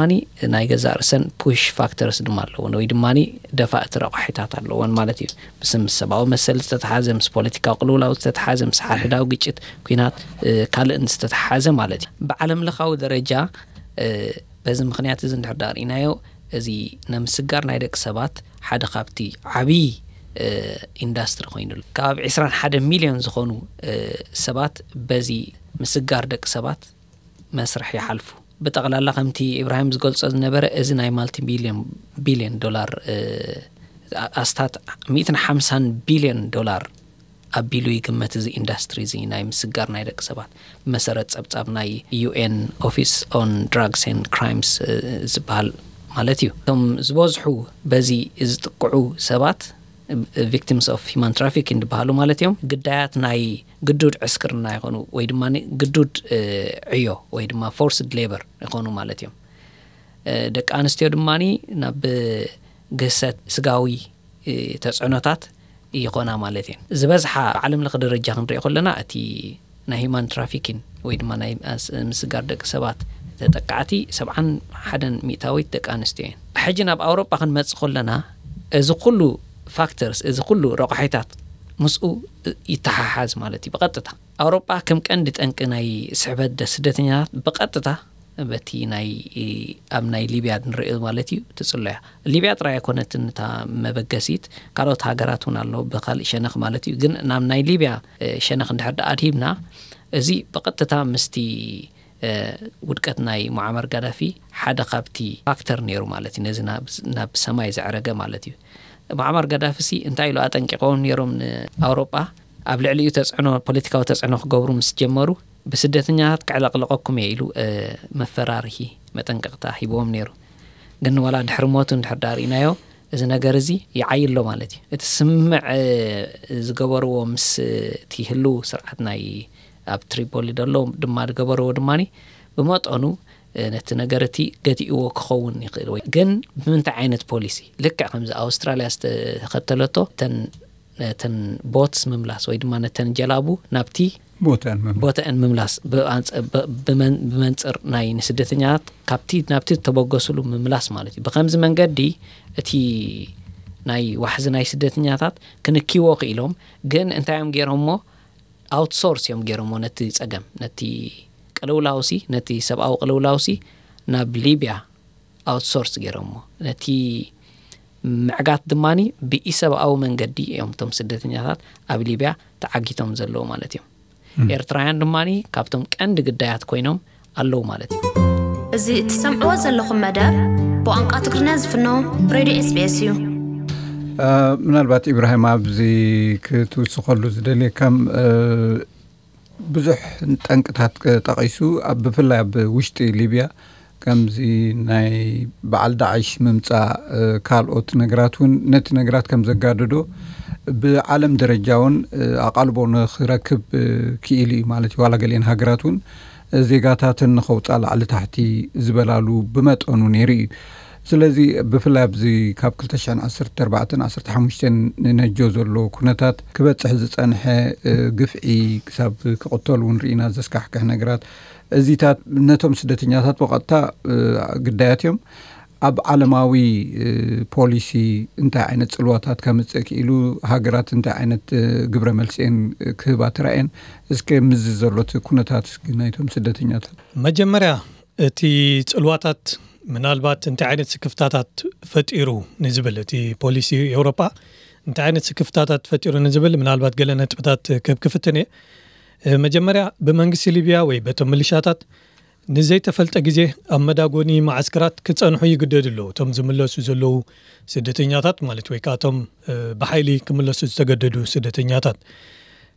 ናይ ገዛእ ርእሰን push factors ድማ ኣለወን ወይ ድማ ደፋእቲ ረቋሒታት ኣለወን ማለት እዩ። ምስ ምስ ሰብኣዊ መሰል ዝተተሓዘ፣ ምስ ፖለቲካዊ ቅልውላው ዝተተሓዘ፣ ምስ ሓድሕዳዊ ግጭት፣ ኲናት፣ ካልእን ዝተተሓዘ ማለት እዩ። ብዓለም ለኻዊ ደረጃ በዚ ምኽንያት እዚ እንድሕር ዳኣ ርኢናዮ፣ እዚ ንምስጋር ናይ ደቂ ሰባት ሓደ ካብቲ ዓብዪ ኢንዳስትሪ ኮይኑ ኣሎ። ከባቢ ዕስራን ሓደ ሚልዮን ዝኾኑ ሰባት በዚ ምስጋር ደቂ ሰባት መስርሕ ይሓልፉ። ብጠቕላላ ከምቲ ኢብራሂም ዝገልጾ ዝነበረ፣ እዚ ናይ ማልቲ ቢልዮን ቢልዮን ዶላር፣ ኣስታት ሚእትን ሓምሳን ቢልዮን ዶላር ኣቢሉ ይግመት፣ እዚ ኢንዱስትሪ እዚ ናይ ምስጋር ናይ ደቂ ሰባት፣ ብመሰረት ጸብጻብ ናይ UN Office on Drugs and Crimes ዝበሃል ማለት እዩ። እቶም ዝበዝሑ በዚ ዝጥቅዑ ሰባት፣ victims of human trafficking ዝበሃሉ ማለት እዮም። ግዳያት ናይ ግዱድ ዕስክርና ይኾኑ፣ ወይ ድማ ግዱድ ዕዮ ወይ ድማ forced labor ይኾኑ ማለት እዮም። ደቂ ኣንስትዮ ድማ ናብ ግህሰት ስጋዊ ተፅዕኖታት ይኾና ማለት እየን። ዝበዝሓ ዓለም ለኸ ደረጃ ክንሪኦ ከለና፣ እቲ ናይ human trafficking ወይ ድማ ናይ ምስጋር ደቂ ሰባት ተጠቃዕቲ ሰብዓን ሓደን ሚእታዊት ደቂ ኣንስትዮ እየን። ሕጂ ናብ ኣውሮጳ ክንመፅእ ከለና፣ እዚ ኩሉ factors፣ እዚ ኩሉ ረቋሒታት ምስኡ ይተሓሓዝ ማለት እዩ። ብቐጥታ ኣውሮጳ ከም ቀንዲ ጠንቂ ናይ ስሕበት ስደተኛታት ብቐጥታ በቲ ናይ ኣብ ናይ ሊብያ ንሪኦ ማለት እዩ ትፅሎ እያ። ሊብያ ጥራይ ኣይኮነትን እታ መበገሲት፣ ካልኦት ሃገራት እውን ኣሎ ብካልእ ሸነኽ ማለት እዩ። ግን ናብ ናይ ሊብያ ሸነኽ እንድሕር ደኣ ኣድሂብና፣ እዚ ብቐጥታ ምስቲ ውድቀት ናይ ሙዓመር ጋዳፊ ሓደ ካብቲ ፋክተር ነይሩ ማለት እዩ፣ ነዚ ናብ ሰማይ ዘዕረገ ማለት እዩ። ሙዓመር ጋዳፊ ሲ እንታይ ኢሉ ኣጠንቂቆም ነይሮም ንኣውሮጳ? ኣብ ልዕሊኡ ተፅዕኖ፣ ፖለቲካዊ ተፅዕኖ ክገብሩ ምስ ጀመሩ፣ ብስደተኛታት ክዕለቕልቐኩም እየ ኢሉ መፈራርሂ መጠንቀቕታ ሂብዎም ነይሩ። ግን ዋላ ድሕሪ ሞቱ እንድሕር ዳኣ ርኢናዮ፣ እዚ ነገር እዚ ይዓይ ኣሎ ማለት እዩ። እቲ ስምምዕ ዝገበርዎ ምስ እቲ ህልው ስርዓት ናይ ኣብ ትሪፖሊ ዘሎ ድማ ዝገበርዎ ድማ ብመጠኑ ነቲ ነገር እቲ ገቲእዎ ክኸውን ይኽእል ወይ ግን ብምንታይ ዓይነት ፖሊሲ? ልክዕ ከምዚ ኣውስትራልያ ዝተኸተለቶ፣ እተን ነተን ቦትስ ምምላስ ወይ ድማ ነተን ጀላቡ ናብቲ ቦተን ምም ቦተአን ምምላስ፣ ብኣንጸ- ብ- ብመን- ብመንጽር ናይ ንስደተኛታት ካብቲ ናብቲ ዝተበገሱሉ ምምላስ ማለት እዩ። ብከምዚ መንገዲ እቲ ናይ ዋሕዚ ናይ ስደተኛታት ክንኪዎ ክኢሎም። ግን እንታይ እዮም ገይሮሞ? ኣውትሶርስ እዮም ገይሮሞ ነቲ ጸገም፣ ነቲ ቅልውላውሲ፣ ነቲ ሰብኣዊ ቅልውላውሲ ናብ ሊብያ ኣውትሶርስ ገይሮሞ። ነቲ ምዕጋት ድማ ብኢሰብኣዊ መንገዲ እዮም እቶም ስደተኛታት ኣብ ሊብያ ተዓጊቶም ዘለዉ ማለት እዮም። ኤርትራውያን ድማ ካብቶም ቀንዲ ግዳያት ኮይኖም ኣለዉ ማለት እዩ። እዚ እትሰምዕዎ ዘለኹም መደብ ብቋንቋ ትግርኛ ዝፍኖ ሬድዮ SBS እዩ። ምናልባት ኢብራሂም ኣብዚ ክትውስኸሉ ዝደልየ ከም ብዙሕ ጠንቅታት ጠቒሱ፣ ኣብ ብፍላይ ኣብ ውሽጢ ሊብያ ከምዚ ናይ በዓል ዳዕሽ ምምፃእ ካልኦት ነገራት እውን ነቲ ነገራት ከም ዘጋደዶ ብዓለም ደረጃ እውን ኣቓልቦ ንክረክብ ክኢሉ እዩ ማለት እዩ። ዋላ ገሊአን ሃገራት እውን ዜጋታተን ንኸውፃ ላዕሊ ታሕቲ ዝበላሉ ብመጠኑ ነይሩ እዩ። ስለዚ ብፍላይ ኣብዚ ካብ ክልተ ሽሕን ዓሰርተ ኣርባዕተን ዓሰርተ ሓሙሽተን ንነጆ ዘሎ ኩነታት ክበፅሕ ዝፀንሐ ግፍዒ ክሳብ ክቕተሉ እውን ርኢና ዘስካሕክሕ ነገራት እዚታት ነቶም ስደተኛታት ብቐጥታ ግዳያት እዮም። ኣብ ዓለማዊ ፖሊሲ እንታይ ዓይነት ፅልዋታት ከምፅእ ክኢሉ፣ ሃገራት እንታይ ዓይነት ግብረ መልሲኤን ክህባ ተራእየን፣ እስከ ምዚ ዘሎት ኩነታት እስኪ ናይቶም ስደተኛታት መጀመርያ እቲ ፅልዋታት ምናልባት እንታይ ዓይነት ስክፍታታት ፈጢሩ ንዝብል፣ እቲ ፖሊሲ ኤውሮጳ እንታይ ዓይነት ስክፍታታት ፈጢሩ ንዝብል ምናልባት ገለ ነጥብታት ክህብ ክፍትን እየ። መጀመርያ ብመንግስቲ ሊብያ ወይ በቶም ምልሻታት ንዘይተፈልጠ ግዜ ኣብ መዳጎኒ መዓስከራት ክጸንሑ ይግደዱ ኣለዉ። እቶም ዝምለሱ ዘለዉ ስደተኛታት ማለት ወይ ከዓ እቶም ብሓይሊ ክምለሱ ዝተገደዱ ስደተኛታት።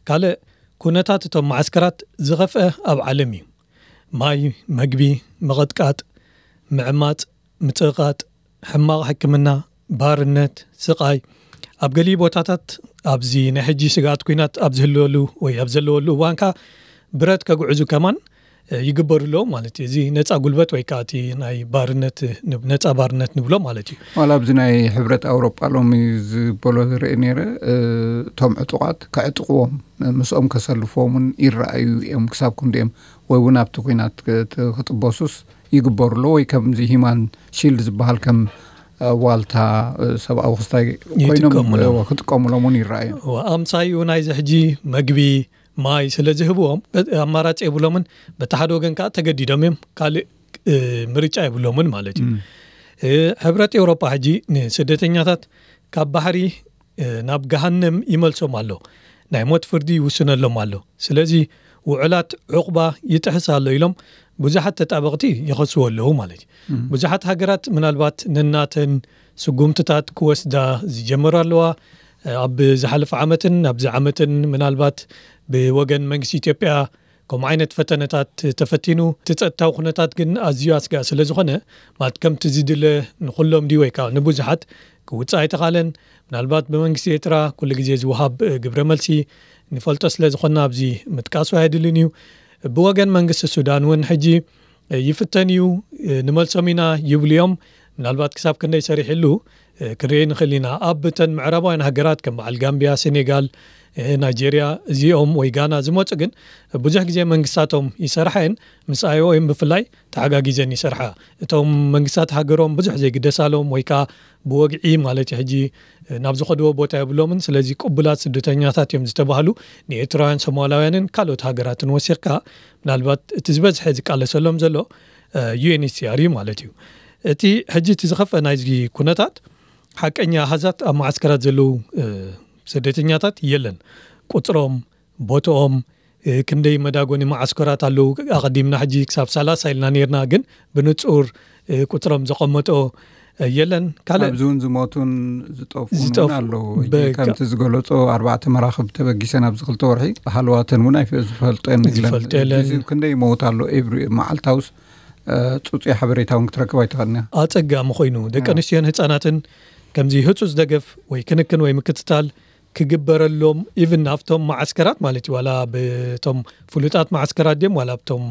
ካልእ ኩነታት እቶም መዓስከራት ዝኸፍአ ኣብ ዓለም እዩ። ማይ፣ መግቢ፣ ምቕጥቃጥ፣ ምዕማጽ፣ ምጽቕቓጥ፣ ሕማቕ ሕክምና፣ ባርነት፣ ስቓይ፣ ኣብ ገሊኡ ቦታታት ኣብዚ ናይ ሕጂ ስግኣት ኲናት ኣብ ዝህልወሉ ወይ ኣብ ዘለወሉ እዋን ከኣ ብረት ከግዕዙ ከማን ይግበሩ ኣለዉ ማለት እዩ። እዚ ነጻ ጉልበት ወይ ከኣ እቲ ናይ ባርነት ነጻ ባርነት ንብሎ ማለት እዩ። ዋላ ኣብዚ ናይ ሕብረት ኣውሮጳ ሎሚ ዝበሎ ዝርኢ ነይረ፣ እቶም ዕጡቓት ከዕጥቕዎም ምስኦም ከሰልፍዎም እውን ይረኣዩ እዮም። ክሳብ ክንድኦም ወይ እውን ኣብቲ ኲናት ክጥበሱስ ይግበሩ ኣለዉ ወይ ከምዚ ሂማን ሺልድ ዝበሃል ከም ዋልታ ሰብኣዊ ክስታይ ኮይኖም ክጥቀሙሎም እውን ይረኣዩ። ኣምሳይኡ ናይዚ ሕጂ መግቢ ማይ ስለ ዝህብዎም ኣማራፂ የብሎምን። በቲ ሓደ ወገን ከዓ ተገዲዶም እዮም፣ ካልእ ምርጫ የብሎምን ማለት እዩ። ሕብረት ኤውሮጳ ሕጂ ንስደተኛታት ካብ ባሕሪ ናብ ገሃነም ይመልሶም ኣሎ፣ ናይ ሞት ፍርዲ ይውስነሎም ኣሎ። ስለዚ ውዕላት ዑቕባ ይጥሕስ ኣሎ ኢሎም ብዙሓት ተጣበቕቲ ይኸስዎ ኣለዉ ማለት እዩ። ብዙሓት ሃገራት ምናልባት ነናተን ስጉምትታት ክወስዳ ዝጀመሩ ኣለዋ። ኣብ ዝሓለፈ ዓመትን ኣብዚ ዓመትን ምናልባት ብወገን መንግስቲ ኢትዮጵያ ከምኡ ዓይነት ፈተነታት ተፈቲኑ፣ እቲ ጸጥታዊ ኩነታት ግን ኣዝዩ ኣስጋእ ስለ ዝኾነ፣ ማለት ከምቲ ዝድለ ንኹሎም ድዩ ወይ ከዓ ንብዙሓት ክውጽእ ኣይተኻለን። ምናልባት ብመንግስቲ ኤርትራ ኩሉ ግዜ ዝወሃብ ግብረ መልሲ ንፈልጦ ስለ ዝኾንና ኣብዚ ምጥቃሱ ኣየድልን እዩ። ብወገን መንግስቲ ሱዳን እውን ሕጂ ይፍተን እዩ፣ ንመልሶም ኢና ይብሉ እዮም። ምናልባት ክሳብ ክንደይ ሰሪሕሉ ክንርኢ ንኽእል ኢና። ኣብ እተን ምዕራባውያን ሃገራት ከም በዓል ጋምቢያ፣ ሴኔጋል፣ ናይጄርያ እዚኦም ወይ ጋና ዝመፁ ግን ብዙሕ ግዜ መንግስታቶም ይሰርሓ እየን። ምስ ኣይ ኦ ኤም ብፍላይ ተሓጋጊዘን ይሰርሓ። እቶም መንግስታት ሃገሮም ብዙሕ ዘይግደሳሎም ወይ ከዓ ብወግዒ ማለት ሕጂ ናብ ዝኸድዎ ቦታ የብሎምን። ስለዚ ቅቡላት ስደተኛታት እዮም ዝተባህሉ ንኤርትራውያን፣ ሶማላውያንን ካልኦት ሃገራትን ወሲኽካ ምናልባት እቲ ዝበዝሐ ዝቃለሰሎም ዘሎ ዩ ኤን ኤች ሲ ኣር እዩ ማለት እዩ። እቲ ሕጂ እቲ ዝኸፍአ ናይዚ ኩነታት ሓቀኛ ኣሃዛት ኣብ መዓስከራት ዘለዉ ስደተኛታት የለን። ቁፅሮም፣ ቦትኦም፣ ክንደይ መዳጎኒ መዓስከራት ኣለዉ? ኣቐዲምና ሕጂ ክሳብ ሰላሳ ኢልና ነርና፣ ግን ብንጹር ቁጽሮም ዘቐመጦ የለን። ካልእ ኣብዚ እውን ዝሞቱን ዝጠፍኡን እውን ኣለዉ። ከምቲ ዝገለጾ ኣርባዕተ መራኽብ ተበጊሰን ኣብዚ ክልተ ወርሒ ብሃለዋተን እውን ዝፈልጦ የለን። ክንደይ ይመውት ኣሎ ኤቭሪ መዓልታውስ? ጽጹይ ሓበሬታ እውን ክትረክብ ኣይትኽእልን እያ። ኣጸጋሚ ኮይኑ ደቂ ኣንስትዮን ህጻናትን ከምዚ ህጹጽ ደገፍ ወይ ክንክን ወይ ምክትታል ክግበረሎም፣ ኢቭን ኣብቶም መዓስከራት ማለት እዩ፣ ዋላ ብቶም ፍሉጣት መዓስከራት ድዮም ዋላ ብቶም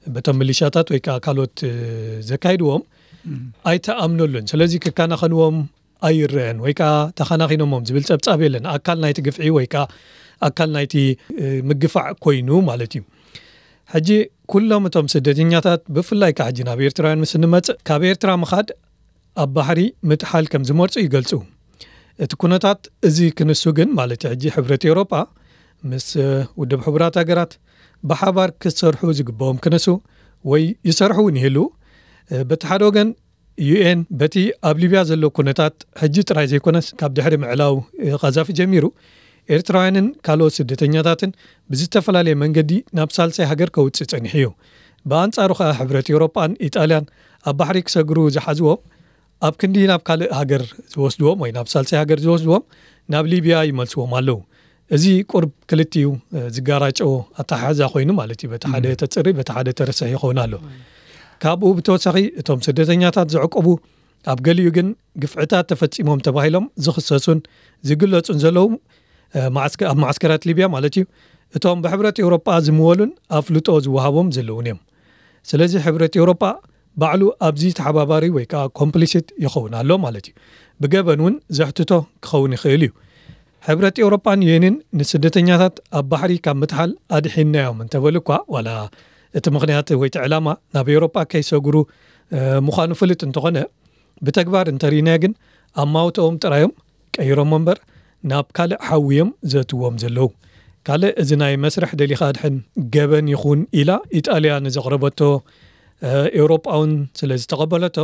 በቶም ሚሊሻታት ወይ ከዓ ካልኦት ዘካይድዎም ኣይተኣምነሉን። ስለዚ ክከናኸንዎም ኣይረአን ወይ ከዓ ተኸናኺኖሞም ዝብል ጸብጻብ የለን። ኣካል ናይቲ ግፍዒ ወይ ከዓ ኣካል ናይቲ ምግፋዕ ኮይኑ ማለት እዩ። ሕጂ ኩሎም እቶም ስደተኛታት ብፍላይ ከዓ ሕጂ ናብ ኤርትራውያን ምስ እንመጽእ ካብ ኤርትራ ምኻድ ኣብ ባሕሪ ምጥሓል ከም ዝመርጹ ይገልጹ። እቲ ኩነታት እዚ ክንሱ ግን ማለት ሕጂ ሕብረት ኤውሮጳ ምስ ውድብ ሕቡራት ሃገራት ብሓባር ክሰርሑ ዝግብኦም ክነሱ ወይ ይሰርሑ እውን ይህሉ። በቲ ሓደ ወገን ዩ ኤን በቲ ኣብ ሊብያ ዘሎ ኩነታት ሕጂ ጥራይ ዘይኮነስ ካብ ድሕሪ ምዕላው ቃዛፊ ጀሚሩ ኤርትራውያንን ካልኦት ስደተኛታትን ብዝተፈላለየ መንገዲ ናብ ሳልሳይ ሃገር ከውፅእ ጸኒሑ እዩ። ብኣንጻሩ ከኣ ሕብረት ኤውሮጳን ኢጣልያን ኣብ ባሕሪ ክሰግሩ ዝሓዝዎም ኣብ ክንዲ ናብ ካልእ ሃገር ዝወስድዎም ወይ ናብ ሳልሳይ ሃገር ዝወስድዎም ናብ ሊብያ ይመልስዎም ኣለዉ። እዚ ቁርብ ክልቲኡ ዝጋራጨዎ ኣተሓሕዛ ኮይኑ ማለት እዩ። በቲ ሓደ ተጽሪ በቲ ሓደ ተርስሕ ይኸውን ኣሎ። ካብኡ ብተወሳኺ እቶም ስደተኛታት ዘዕቆቡ ኣብ ገሊኡ ግን ግፍዕታት ተፈጺሞም ተባሂሎም ዝኽሰሱን ዝግለጹን ዘለዉ ኣብ ማዕስከራት ሊብያ ማለት እዩ እቶም ብሕብረት ኤውሮጳ ዝምወሉን ኣፍልጦ ዝወሃቦም ዘለዉን እዮም። ስለዚ ሕብረት ኤውሮጳ ባዕሉ ኣብዚ ተሓባባሪ ወይ ከዓ ኮምፕሊሲት ይኸውን ኣሎ ማለት እዩ። ብገበን እውን ዘሕትቶ ክኸውን ይኽእል እዩ። ሕብረት ኤውሮጳን ዩኤንን ንስደተኛታት ኣብ ባሕሪ ካብ ምትሓል ኣድሒንናዮም እንተበሉ እኳ ዋላ እቲ ምኽንያት ወይ እቲ ዕላማ ናብ ኤውሮጳ ከይሰግሩ ምዃኑ ፍልጥ እንተኾነ ብተግባር እንተርኢናዮ ግን ኣማውትኦም ጥራዮም ቀይሮሞ እምበር ናብ ካልእ ሓዊ እዮም ዘእትዎም ዘለዉ። ካልእ እዚ ናይ መስርሕ ደሊኻ ኣድሕን ገበን ይኹን ኢላ ኢጣልያ ንዘቕረበቶ ኤውሮጳ እውን ስለ ዝተቐበለቶ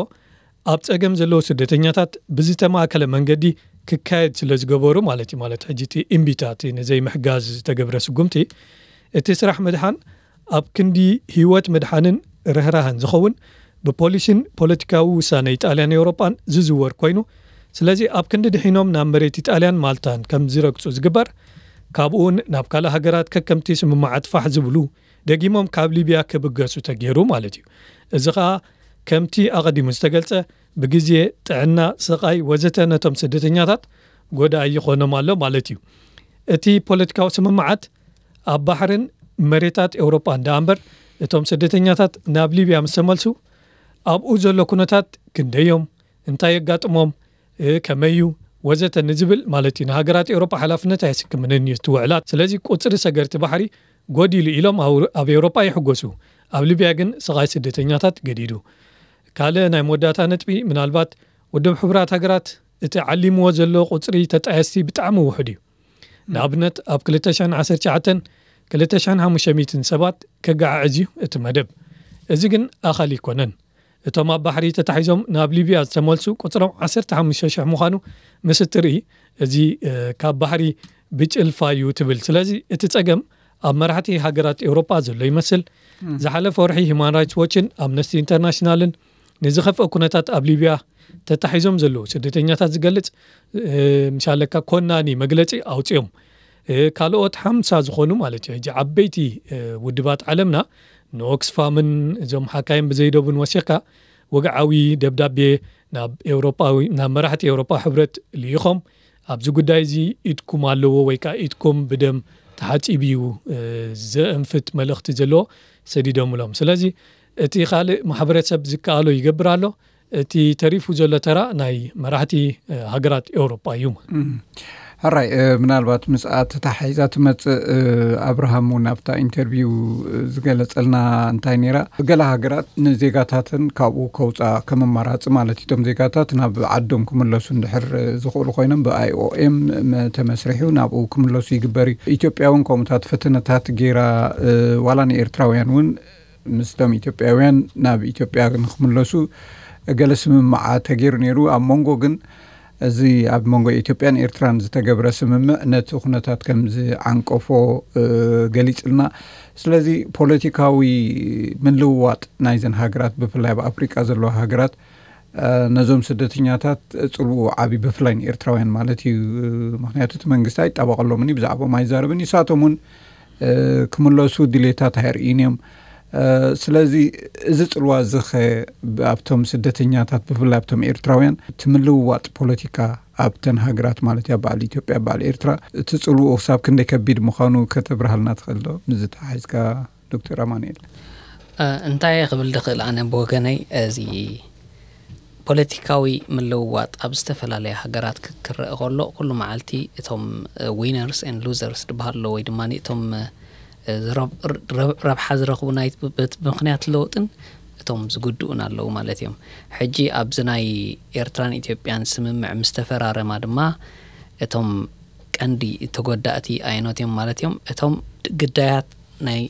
ኣብ ጸገም ዘለዉ ስደተኛታት ብዝተማእከለ መንገዲ ክካየድ ስለ ዝገበሩ ማለት እዩ። ማለት ሕጂ እቲ እምቢታ እቲ ንዘይምሕጋዝ ዝተገብረ ስጉምቲ እቲ ስራሕ ምድሓን ኣብ ክንዲ ህይወት ምድሓንን ርህራህን ዝኸውን ብፖሊሲን ፖለቲካዊ ውሳነ ኢጣልያን ኤውሮጳን ዝዝወር ኮይኑ ስለዚ ኣብ ክንዲ ድሒኖም ናብ መሬት ኢጣልያን ማልታን ከም ዝረግጹ ዝግበር ካብኡውን ናብ ካልእ ሃገራት ከከምቲ ስምማዓት ፋሕ ዝብሉ ደጊሞም ካብ ሊብያ ክብገሱ ተገይሩ ማለት እዩ። እዚ ኸኣ ከምቲ ኣቐዲሙ ዝተገልጸ ብግዜ ጥዕና፣ ስቓይ ወዘተ ነቶም ስደተኛታት ጎዳኢ ይኾኖም ኣሎ ማለት እዩ። እቲ ፖለቲካዊ ስምምዓት ኣብ ባሕርን መሬታት ኤውሮጳን ደኣ እምበር እቶም ስደተኛታት ናብ ሊብያ ምስ ተመልሱ ኣብኡ ዘሎ ኩነታት ክንደዮም እንታይ የጋጥሞም ከመይ እዩ ወዘተ ንዝብል ማለት እዩ ንሃገራት ኤውሮጳ ሓላፍነት ኣየስክምንን እዩ እቲ ውዕላት። ስለዚ ቁፅሪ ሰገርቲ ባሕሪ ጎዲሉ ኢሎም ኣብ ኤውሮጳ ይሕጎሱ። ኣብ ሊብያ ግን ስቓይ ስደተኛታት ገዲዱ። ካልእ ናይ መወዳእታ ነጥቢ ምናልባት ውድብ ሕቡራት ሃገራት እቲ ዓሊምዎ ዘሎ ቁፅሪ ተጣየስቲ ብጣዕሚ ውሑድ እዩ። ንኣብነት ኣብ ክልተ ሽሕን ዓሰርተ ትሽዓተን ክልተ ሽሕን ሓሙሽተ ሚእትን ሰባት ከገዓዕዝ እዩ እቲ መደብ። እዚ ግን ኣኻሊ ኣይኮነን። እቶም ኣብ ባሕሪ ተታሒዞም ናብ ሊብያ ዝተመልሱ ቁፅሮም ዓሰርተ ሓሙሽተ ሽሕ ምዃኑ ምስ እትርኢ እዚ ካብ ባሕሪ ብጭልፋ እዩ ትብል። ስለዚ እቲ ፀገም ኣብ መራሕቲ ሃገራት ኤውሮጳ ዘሎ ይመስል። ዝሓለፈ ወርሒ ሂማን ራይትስ ዎችን ኣምነስቲ ኢንተርናሽናልን ንዝኸፍአ ኩነታት ኣብ ሊብያ ተታሒዞም ዘለዉ ስደተኛታት ዝገልጽ ምሻለካ ኮናኒ መግለጺ ኣውፅኦም። ካልኦት ሓምሳ ዝኾኑ ማለት እዩ ሕጂ ዓበይቲ ውድባት ዓለምና ንኦክስፋምን እዞም ሓካይም ብዘይደቡን ወሲኽካ ወግዓዊ ደብዳቤ ናብ ኤውሮጳዊ ናብ መራሕቲ ኤውሮጳ ሕብረት ልኢኾም ኣብዚ ጉዳይ እዚ ኢድኩም ኣለዎ ወይ ከዓ ኢድኩም ብደም ተሓፂቡ እዩ ዘእንፍት መልእኽቲ ዘለዎ ሰዲዶምሎም። ስለዚ እቲ ካልእ ማሕበረሰብ ዝከኣሎ ይገብር ኣሎ። እቲ ተሪፉ ዘሎ ተራ ናይ መራሕቲ ሃገራት ኤውሮጳ እዩ። ሕራይ ምናልባት ምስ ኣተታሒዛ ትመፅእ ኣብርሃም እውን ኣብታ ኢንተርቪው ዝገለፀልና እንታይ ነይራ፣ ገለ ሃገራት ንዜጋታትን ካብኡ ከውፃ ከም ኣማራፂ ማለት እቶም ዜጋታት ናብ ዓዶም ክምለሱ እንድሕር ዝኽእሉ ኮይኖም ብኣይኦኤም ተመስሪሑ ናብኡ ክምለሱ ይግበር እዩ። ኢትዮጵያ እውን ከምኡታት ፈተነታት ገይራ ዋላ ንኤርትራውያን እውን ምስቶም ኢትዮጵያውያን ናብ ኢትዮጵያ ንክምለሱ ገለ ስምምዓ ተገይሩ ነይሩ። ኣብ መንጎ ግን እዚ ኣብ መንጎ ኢትዮጵያን ኤርትራን ዝተገብረ ስምምዕ ነቲ ኩነታት ከም ዝዓንቀፎ ገሊጽልና። ስለዚ ፖለቲካዊ ምልውዋጥ ናይዘን ሃገራት ብፍላይ ኣብ ኣፍሪቃ ዘለዋ ሃገራት ነዞም ስደተኛታት ጽልኡ ዓቢ ብፍላይ ንኤርትራውያን ማለት እዩ። ምክንያቱ እቲ መንግስቲ ኣይጣበቀሎምን እዩ፣ ብዛዕባኦም ኣይዛረብን እዩ። ንሳቶም እውን ክምለሱ ድሌታት ኣየርእዩን እዮም። ስለዚ እዚ ጽልዋ እዚ ኸ ኣብቶም ስደተኛታት ብፍላይ ኣብቶም ኤርትራውያን እቲ ምልውዋጥ ፖለቲካ ኣብተን ሃገራት ማለት እያ በዓል ኢትዮጵያ በዓል ኤርትራ እቲ ጽልኡ ክሳብ ክንደይ ከቢድ ምዃኑ ከተብርሃልና ትኽእል ዶ? ምዚ ተሓሒዝካ ዶክተር ኣማኑኤል። እንታይ ክብል ድኽእል ኣነ ብወገነይ እዚ ፖለቲካዊ ምልውዋጥ ኣብ ዝተፈላለያ ሃገራት ክክረአ ከሎ ኩሉ መዓልቲ እቶም ዊነርስ ን ሉዘርስ ዝበሃሉ ወይ ድማ እቶም ረብሓ ዝረኽቡ ናይ ምክንያት ለውጥን እቶም ዝጉድኡን ኣለዉ ማለት እዮም። ሕጂ ኣብዚ ናይ ኤርትራን ኢትዮጵያን ስምምዕ ምስ ተፈራረማ ድማ እቶም ቀንዲ ተጎዳእቲ ኣየኖት እዮም ማለት እዮም? እቶም ግዳያት ናይ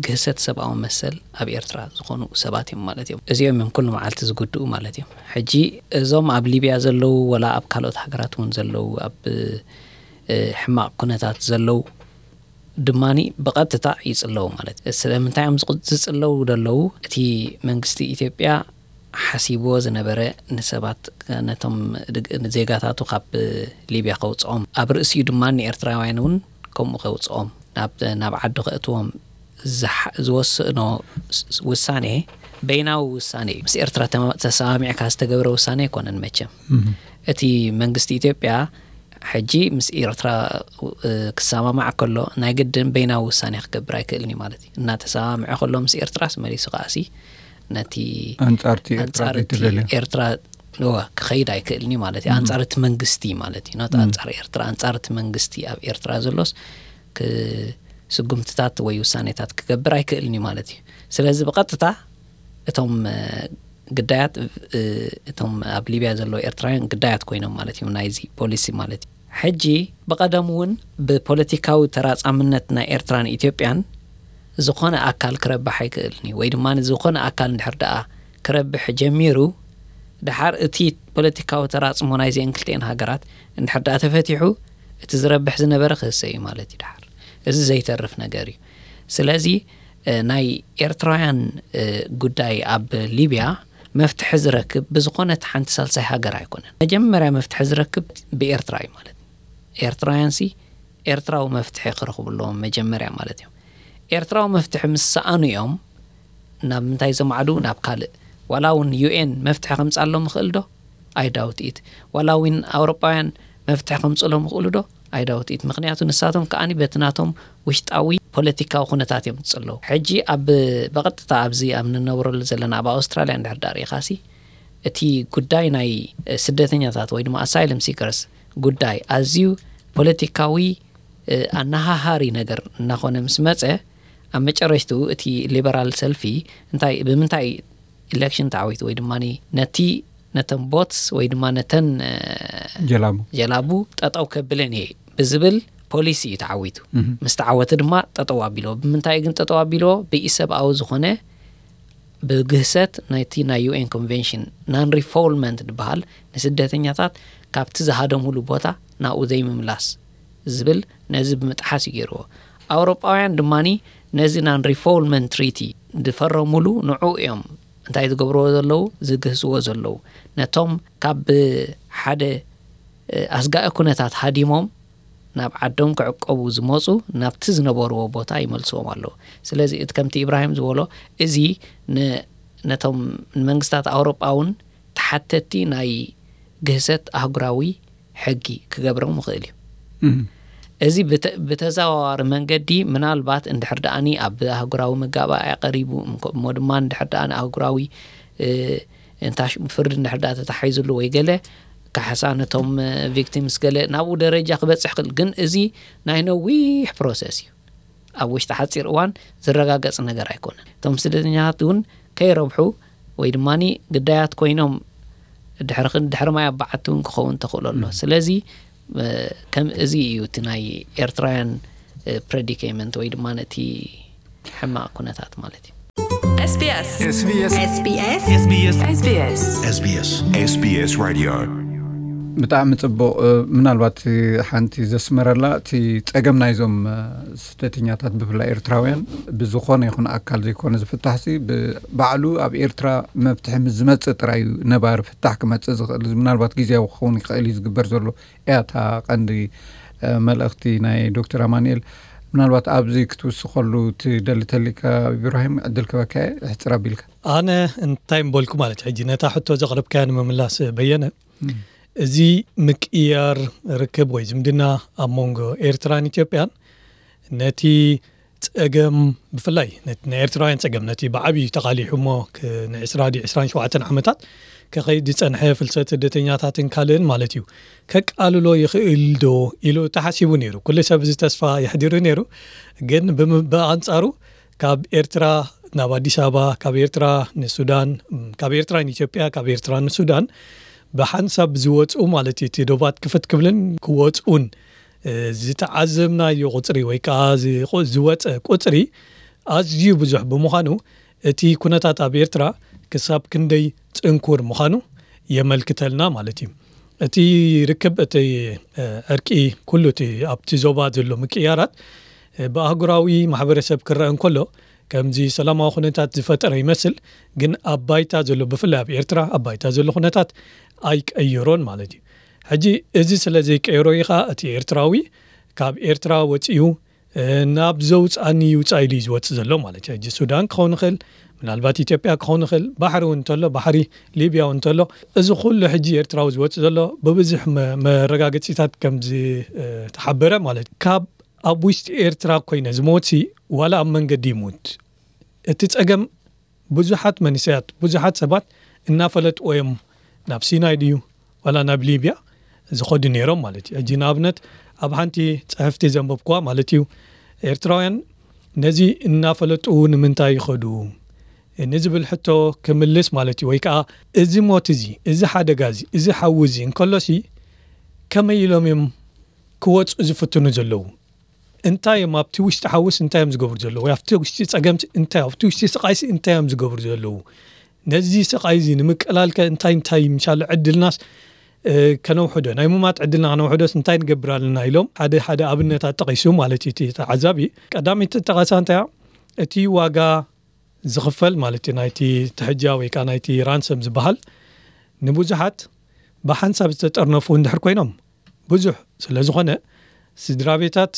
ግህሰት ሰብኣዊ መሰል ኣብ ኤርትራ ዝኾኑ ሰባት እዮም ማለት እዮም። እዚኦም እዮም ኩሉ መዓልቲ ዝጉድኡ ማለት እዮም። ሕጂ እዞም ኣብ ሊብያ ዘለዉ ወላ ኣብ ካልኦት ሃገራት እውን ዘለዉ ኣብ ሕማቕ ኩነታት ዘለዉ ድማኒ ብቐጥታ ይጽለዉ ማለት እዩ። ስለምንታይ እዮም ዝጽለዉ ዘለዉ? እቲ መንግስቲ ኢትዮጵያ ሓሲብዎ ዝነበረ ንሰባት ነቶም ዜጋታቱ ካብ ሊብያ ከውፅኦም ኣብ ርእሲኡ ድማ ንኤርትራውያን እውን ከምኡ ከውፅኦም ናብ ዓዲ ከእትዎም ዝወስኖ ውሳኔ በይናዊ ውሳኔ እዩ። ምስ ኤርትራ ተሰማሚዕካ ዝተገብረ ውሳኔ ኣይኮነን። መቸም እቲ መንግስቲ ኢትዮጵያ ሕጂ ምስ ኤርትራ ክሰማማዕ ከሎ ናይ ግድን በይናዊ ውሳኔ ክገብር ኣይክእልን እዩ ማለት እዩ። እናተሰማምዐ ከሎ ምስ ኤርትራስ መሊሱ ከኣሲ ነቲ ኣንጻርቲ ኤርትራ ዘይትደልዮ ኤርትራ ክኸይድ ኣይክእልን እዩ ማለት እዩ። ኣንጻር እቲ መንግስቲ ማለት እዩ። ኖት ኣንጻር ኤርትራ፣ ኣንጻር እቲ መንግስቲ ኣብ ኤርትራ ዘሎስ ስጉምትታት ወይ ውሳኔታት ክገብር ኣይክእልን እዩ ማለት እዩ። ስለዚ ብቐጥታ እቶም ግዳያት እቶም ኣብ ሊብያ ዘለዉ ኤርትራውያን ግዳያት ኮይኖም ማለት እዮም ናይዚ ፖሊሲ ማለት እዩ። ሕጂ ብቐደም እውን ብፖለቲካዊ ተራጻምነት ናይ ኤርትራን ኢትዮጵያን ዝኾነ ኣካል ክረብሕ ኣይክእልን እዩ። ወይ ድማ ዝኾነ ኣካል እንድሕር ደኣ ክረብሕ ጀሚሩ ድሓር እቲ ፖለቲካዊ ተራጽሞ ናይዚአን ክልቲኤን ሃገራት እንድሕር ደኣ ተፈቲሑ እቲ ዝረብሕ ዝነበረ ክህሰ እዩ ማለት እዩ ድሓር። እዚ ዘይተርፍ ነገር እዩ። ስለዚ ናይ ኤርትራውያን ጉዳይ ኣብ ሊብያ መፍትሒ ዝረክብ ብዝኾነት ሓንቲ ሳልሳይ ሃገር ኣይኮነን። መጀመርያ መፍትሒ ዝረክብ ብኤርትራ እዩ ማለት እዩ። ኤርትራውያን ሲ ኤርትራዊ መፍትሒ ክረኽቡ ኣለዎም መጀመርያ ማለት እዮም። ኤርትራዊ መፍትሒ ምስ ሰኣኑ እዮም ናብ ምንታይ ዘማዕዱ ናብ ካልእ ዋላ እውን ዩኤን መፍትሒ ከምጻሎም ይኽእል ዶ? ኣይዳውት ኢት ዋላ እውን ኣውሮጳውያን መፍትሒ ከምጽሎም ይኽእሉ ዶ? ኣይዳውት ኢት ምክንያቱ ንሳቶም ከኣኒ በቲ ናቶም ውሽጣዊ ፖለቲካዊ ኩነታት እዮም ዝጽለዉ። ሕጂ ኣብ ብቐጥታ ኣብዚ ኣብ ንነብረሉ ዘለና ኣብ ኣውስትራልያ እንድሕር ዳኣ ርኢኻሲ እቲ ጉዳይ ናይ ስደተኛታት ወይ ድማ ኣሳይለም ሲከርስ ጉዳይ ኣዝዩ ፖለቲካዊ ኣናሃሃሪ ነገር እናኾነ ምስ መጸ ኣብ መጨረሽትኡ እቲ ሊበራል ሰልፊ እንታይ ብምንታይ ኢሌክሽን ተዓዊቱ ወይ ድማ ነቲ ነተን ቦትስ ወይ ድማ ነተን ጀላቡ ጀላቡ ጠጠው ከብለን እየ ብዝብል ፖሊሲ እዩ ተዓዊቱ። ምስ ተዓወተ ድማ ጠጠው ኣቢልዎ። ብምንታይ ግን ጠጠው ኣቢልዎ? ብኢሰብኣዊ ዝኾነ ብግህሰት ናይቲ ናይ ዩኤን ኮንቨንሽን ናን ሪፎልመንት ዝበሃል ንስደተኛታት ካብቲ ዝሃደሙሉ ቦታ ናብኡ ዘይምምላስ ዝብል ነዚ ብምጥሓስ እዩ ገይርዎ። ኣውሮጳውያን ድማ ነዚ ናን ሪፎልመንት ትሪቲ ዝፈረሙሉ ንዑ እዮም እንታይ ዝገብርዎ ዘለዉ፣ ዝግህስዎ ዘለዉ። ነቶም ካብ ሓደ ኣስጋኢ ኩነታት ሃዲሞም ናብ ዓዶም ክዕቀቡ ዝመፁ ናብቲ ዝነበርዎ ቦታ ይመልስዎም ኣለዉ። ስለዚ እቲ ከምቲ ኢብራሂም ዝበሎ፣ እዚ ነቶም ንመንግስታት ኣውሮጳ እውን ተሓተቲ ናይ ግህሰት ኣህጉራዊ ሕጊ ክገብሮም ይኽእል እዩ። እዚ ብተዘዋዋሪ መንገዲ ምናልባት እንድሕር ደኣኒ ኣብ ኣህጉራዊ መጋባእያ ቀሪቡ እሞ ድማ እንድሕር ደኣ ኣህጉራዊ እንታ ፍርዲ እንድሕር ደኣ ተታሒዙሉ ወይ ገለ ካሕሳ ነቶም ቪክቲምስ ገለ ናብኡ ደረጃ ክበፅሕ ክእል። ግን እዚ ናይ ነዊሕ ፕሮሰስ እዩ። ኣብ ውሽጢ ሓፂር እዋን ዝረጋገፅ ነገር ኣይኮነን። እቶም ስደተኛታት እውን ከይረብሑ ወይ ድማ ግዳያት ኮይኖም ድሕሪ ማይ ኣባዓቲ እውን ክኸውን ተኽእሎ ኣሎ። ስለዚ ከም እዚ እዩ እቲ ናይ ኤርትራውያን ፕሬዲኬመንት ወይ ድማ ነቲ ሕማቕ ኩነታት ማለት እዩ። SBS SBS SBS SBS SBS SBS Radio። ብጣዕሚ ጽቡቕ። ምናልባት ሓንቲ ዘስመረላ እቲ ጸገም ናይዞም ስደተኛታት ብፍላይ ኤርትራውያን ብዝኾነ ይኹን ኣካል ዘይኮነ ዝፍታሕሲ ባዕሉ ኣብ ኤርትራ መፍትሒ ምስ ዝመጽእ ጥራይ እዩ ነባሪ ፍታሕ ክመጽእ ዝኽእል። ምናልባት ግዜያዊ ክኸውን ይኽእል እዩ ዝግበር ዘሎ እያ እታ ቀንዲ መልእኽቲ ናይ ዶክተር ኣማንኤል። ምናልባት ኣብዚ ክትውስኸሉ ትደሊ ተሊካ ኢብራሂም ዕድል ክበካ እየ፣ ሕፅር ኣቢልካ። ኣነ እንታይ ምበልኩ ማለት ሕጂ ነታ ሕቶ ዘቕረብካያ ንምምላስ በየነ፣ እዚ ምቅያር ርክብ ወይ ዝምድና ኣብ መንጎ ኤርትራን ኢትዮጵያን ነቲ ጸገም ብፍላይ ነቲ ናይ ኤርትራውያን ጸገም ነቲ ብዓብዩ ተቓሊሑ እሞ ክ- ን ዕስራ ድዩ ዕስራን ሸውዓተን ዓመታት ከኸይድ ዝጸንሐ ፍልሰት ስደተኛታትን ካልእን ማለት እዩ ከቃልሎ ይኽእል ዶ ኢሉ ተሓሲቡ ነይሩ። ኩሉ ሰብ እዚ ተስፋ የሕዲሩ ነይሩ። ግን ብም- ብኣንጻሩ ካብ ኤርትራ ናብ ኣዲስ ኣበባ፣ ካብ ኤርትራ ንሱዳን፣ ም፣ ካብ ኤርትራ ንኢትዮጵያ፣ ካብ ኤርትራ ንሱዳን ብሓንሳብ ዝወፅኡ ማለት እዩ እቲ ዶባት ክፍት ክብልን ክወፅኡን ዝተዓዘብናዮ ቁፅሪ ወይ ከዓ ዝወፀ ቁፅሪ ኣዝዩ ብዙሕ ብምዃኑ እቲ ኩነታት ኣብ ኤርትራ ክሳብ ክንደይ ፅንኩር ምዃኑ የመልክተልና ማለት እዩ። እቲ ርክብ እቲ ዕርቂ ኩሉ እቲ ኣብቲ ዞባ ዘሎ ምቅያራት ብኣህጉራዊ ማሕበረሰብ ክረአ እንከሎ ከምዚ ሰላማዊ ኩነታት ዝፈጠረ ይመስል፣ ግን ኣብ ባይታ ዘሎ ብፍላይ ኣብ ኤርትራ ኣብ ባይታ ዘሎ ኩነታት ኣይቀየሮን ማለት እዩ። ሕጂ እዚ ስለ ዘይቀየሮ እዩ ከዓ እቲ ኤርትራዊ ካብ ኤርትራ ወፂኡ ናብ ዘውፅኣኒ ይውፃእ ኢሉ እዩ ዝወፅእ ዘሎ ማለት እዩ። ሕጂ ሱዳን ክኸውን ይኽእል፣ ምናልባት ኢትዮጵያ ክኸውን ይኽእል፣ ባሕሪ እውን እንተሎ ባሕሪ ሊብያ እውን እንተሎ እዚ ኩሉ ሕጂ ኤርትራዊ ዝወፅእ ዘሎ ብብዙሕ መረጋገፂታት ከም ዝተሓበረ ማለት እዩ። ካብ ኣብ ውሽጢ ኤርትራ ኮይነ ዝሞት ዋላ ኣብ መንገዲ ይሙት እቲ ፀገም ብዙሓት መንእሰያት ብዙሓት ሰባት እናፈለጥዎ እዮም ናብ ሲናይ ድዩ ዋላ ናብ ሊብያ ዝኸዱ ነይሮም ማለት እዩ። ሕጂ ንኣብነት ኣብ ሓንቲ ፅሕፍቲ ዘንበብኩዋ ማለት እዩ ኤርትራውያን ነዚ እናፈለጡ ንምንታይ ይኸዱ ንዝብል ሕቶ ክምልስ ማለት እዩ። ወይ ከዓ እዚ ሞት እዚ እዚ ሓደጋ እዚ እዚ ሓዊ እዚ እንከሎሲ ከመይ ኢሎም እዮም ክወፁ ዝፍትኑ ዘለዉ እንታይ እዮም ኣብቲ ውሽጢ ሓውስ እንታይ እዮም ዝገብሩ ዘለዉ ወይ ኣብቲ ውሽጢ ፀገምሲ እንታይ ኣብቲ ውሽጢ ስቃይሲ እንታይ እዮም ዝገብሩ ዘለዉ ነዚ ስቃይ እዚ ንምቅላልከ እንታይ እንታይ ምሻሉ ዕድልናስ ከነውሕዶ ናይ ሙማት ዕድልና ከነውሕዶስ እንታይ ንገብር ኣለና ኢሎም ሓደ ሓደ ኣብነታት ጠቂሱ ማለት እዩ እቲ ተዓዛቢ ቀዳመይቲ ጠቀሳ እንታይ እቲ ዋጋ ዝኽፈል ማለት እዩ ናይቲ ትሕጃ ወይ ከዓ ናይቲ ራንሰም ዝበሃል ንብዙሓት ብሓንሳብ ዝተጠርነፉ እንድሕር ኮይኖም ብዙሕ ስለ ዝኾነ ስድራ ቤታት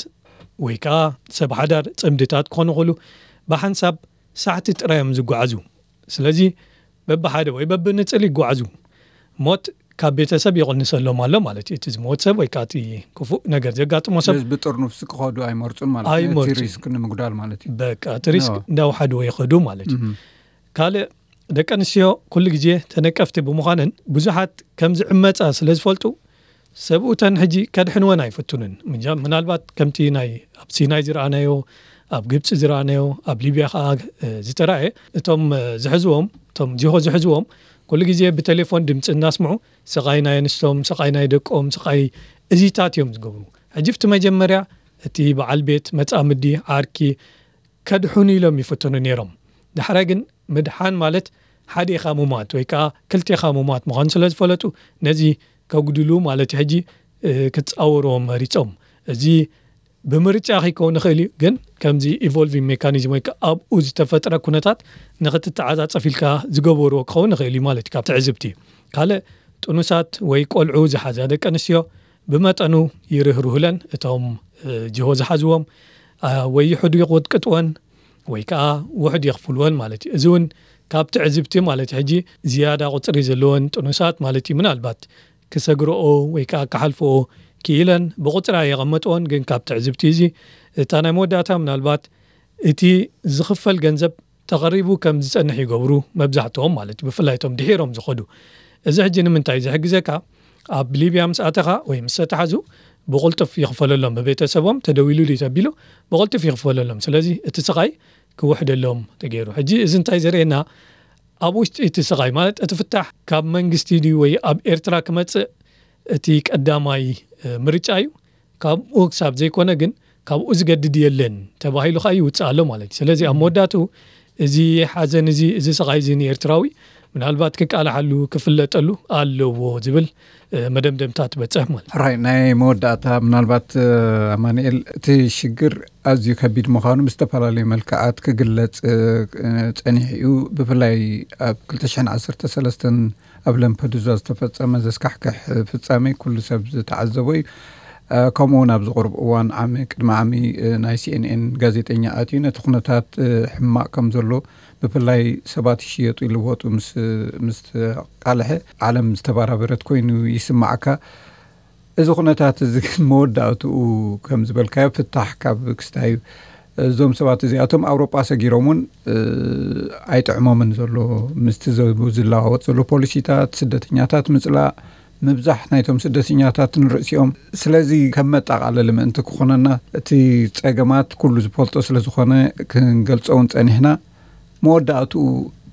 ወይ ከዓ ሰብ ሓዳር ፅምድታት ክኾኑ ይኽእሉ ብሓንሳብ ሳሕቲ ጥራይ እዮም ዝጓዓዙ። ስለዚ በብሓደ ወይ በብንፅል ይጓዓዙ። ሞት ካብ ቤተሰብ ይቕንሰሎም ኣሎ ማለት እዩ። እቲ ዝሞት ሰብ ወይ ከዓ እቲ ክፉእ ነገር ዘጋጥሞ ሰብ ስለዚ ብጥርኑፍሲ ክኸዱ ኣይመርፁን ማለት እዩ። ነቲ ኣይመርፁን። ሪስክ ንምጉዳል ማለት እዩ። በቃ እቲ ሪስክ እንዳውሓድዎ ይኸዱ ማለት እዩ። ካልእ ደቂ ኣንስትዮ ኩሉ ግዜ ተነቀፍቲ ብምዃነን ብዙሓት ከም ዝዕመፃ ስለ ዝፈልጡ ሰብኡተን ሕጂ ከድሕንወን ኣይፍትኑን። ምናልባት ከምቲ ናይ ኣብ ሲናይ ዝረኣናዮ ኣብ ግብፂ ዝረኣናዮ ኣብ ሊብያ ከዓ ዝተረኣየ እቶም ዝሕዝዎም እቶም ዚሆ ዝሕዝዎም ኩሉ ግዜ ብቴሌፎን ድምፂ እናስምዑ ስቓይ ናይ ኣንስቶም ስቓይ ናይ ደቆም ስቓይ እዚታት እዮም ዝገብሩ። ሕጂ ብቲ መጀመርያ እቲ በዓል ቤት መፃምዲ ዓርኪ ከድሕኑ ኢሎም ይፍትኑ ነይሮም። ዳሕራይ ግን ምድሓን ማለት ሓዴኻ ሙማት ወይ ከዓ ክልቴኻ ሙማት ምዃኑ ስለ ዝፈለጡ ነዚ ከጉድሉ ማለት ሕጂ ክፃወርዎም መሪፆም። እዚ ብምርጫ ከይከውን ይኽእል እዩ፣ ግን ከምዚ ኢቮልቪንግ ሜካኒዝም ወይ ከዓ ኣብኡ ዝተፈጥረ ኩነታት ንኽትተዓፃፀፍ ኢልካ ዝገበርዎ ክኸውን ይኽእል እዩ ማለት እዩ። ካብ ትዕዝብቲ ካልእ ጥኑሳት ወይ ቆልዑ ዝሓዛ ደቂ ኣንስትዮ ብመጠኑ ይርህርሁለን፣ እቶም እ፣ ጅሆ ዝሓዝዎም ኣ፣ ወይ ይሕዱ ይቕጥቅጥወን ወይ ከዓ ውሕድ የኽፍልወን ማለት እዩ። እዚ እውን ካብ ትዕዝብቲ ማለት ሕጂ ዝያዳ ቁፅሪ ዘለወን ጥኑሳት ማለት እዩ። ምናልባት ክሰግረኦ ወይ ከዓ ክሓልፈኦ ክኢለን ብቁፅራ የቐመጥዎን፣ ግን ካብ ትዕዝብቲ እዚ እታ ናይ መወዳእታ ምናልባት እቲ ዝኽፈል ገንዘብ ተቐሪቡ ከም ዝጸንሕ ይገብሩ መብዛሕትኦም ማለት እዩ፣ ብፍላይ እቶም ድሒሮም ዝኸዱ። እዚ ሕጂ ንምንታይ ዝሕግዘካ? ኣብ ሊብያ ምስ ኣተኻ ወይ ምስ ተተሓዙ ብቕልጡፍ ይኽፈለሎም፣ ብቤተሰቦም ተደዊሉ ድዩ ተቢሉ ብቕልጡፍ ይኽፈለሎም። ስለዚ እቲ ስቓይ ክውሕደሎም ተገይሩ። ሕጂ እዚ እንታይ ዘርእየና? ኣብ ውሽጢ እቲ ስቓይ ማለት እቲ ፍታሕ ካብ መንግስቲ ድዩ ወይ ኣብ ኤርትራ ክመጽእ እቲ ቀዳማይ እ፣ ምርጫ እዩ። ካብኡ ክሳብ ዘይኮነ ግን ካብኡ ዝገድድ የለን ተባሂሉ ከኣ ይውፅእ ኣሎ ማለት እዩ። ስለዚ ኣብ መወዳእትኡ እዚ ሓዘን እዚ፣ እዚ ስቓይ እዚ ንኤርትራዊ ምናልባት ክቃላሓሉ ክፍለጠሉ ኣለዎ ዝብል እ፣ መደምደምታ ትበፅሕ ማለት እዩ። ሕራይ ናይ መወዳእታ ምናልባት እ፣ ኣማኑኤል እቲ ሽግር ኣዝዩ ከቢድ ምዃኑ ብዝተፈላለዩ መልክዓት ክግለጽ እ፣ እ፣ ጸኒሑ እዩ። ብፍላይ ኣብ ክልተ ሽሕን ዓሰርተ ሰለስተን ኣብ ለምፐዱዛ ዝተፈጸመ ዘስካሕክሕ ፍጻሜ ኩሉ ሰብ ዝተዓዘቦ እዩ። እ፣ ከምኡ እውን ኣብዚ ቁሩብ እዋን ዓሚ፣ ቅድሚ ዓሚ እ፣ ናይ ሲኤንኤን ጋዜጠኛ ኣትዩ ነቲ ኩነታት እ፣ ሕማቕ ከም ዘሎ ብፍላይ ሰባት ይሽየጡ ይልወጡ ምስ ምስ ተቃልሐ ዓለም ዝተባራበረት ኮይኑ ይስማዓካ። እዚ ኩነታት እዚ ግን መወዳእትኡ ከም ዝበልካዮ ፍታሕ ካብ ክስታይ እዩ። እዞም ሰባት እዚኣቶም ኣውሮጳ ሰጊሮም እውን እ፣ ኣይጥዕሞምን ዘሎ ምስቲ ዘ- ዝለዋወጥ ዘሎ ፖሊሲታት ስደተኛታት ምፅላእ ምብዛሕ ናይቶም ስደተኛታት ንርእሲኦም። ስለዚ ከም መጠቓለሊ ምእንቲ ክኾነና እቲ ጸገማት ኩሉ ዝፈልጦ ስለ ዝኾነ ክንገልጾ እውን ጸኒሕና። መወዳእትኡ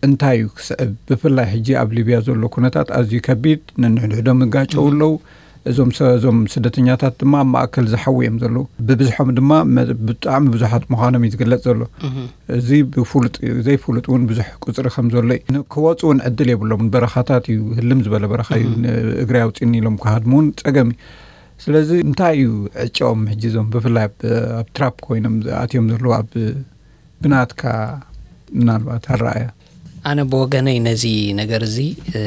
እንታይ እዩ ክስዕብ? ብፍላይ ሕጂ ኣብ ሊብያ ዘሎ ኩነታት ኣዝዩ ከቢድ፣ ነንሕድሕዶም ይጋጨው ኣለዉ። እዞም ሰ- እዞም ስደተኛታት ድማ ኣብ ማእከል ዝሓዊ እዮም ዘለዉ። ብብዝሖም ድማ መ- ብጣዕሚ ብዙሓት ምዃኖም እዩ ዝግለጽ ዘሎ። እዚ ብፍሉጥ እዩ፣ ዘይፍሉጥ እውን ብዙሕ ቁጽሪ ከም ዘሎ እዩ። ን- ክወጹ እውን ዕድል የብሎምን። በረኻታት እዩ፣ ህልም ዝበለ በረኻ እዩ። እግሪ ኣውጺኒ ኢሎም ክሃድሙ እውን ጸገም እዩ። ስለዚ እንታይ እዩ ዕጫኦም ሕጂ እዞም ብፍላይ ኣብ ኣብ ትራፕ ኮይኖም ኣትዮም ዘለዉ ኣብ ብናትካ ምናልባት ኣረኣያ? ኣነ ብወገነይ ነዚ ነገር እዚ እ፣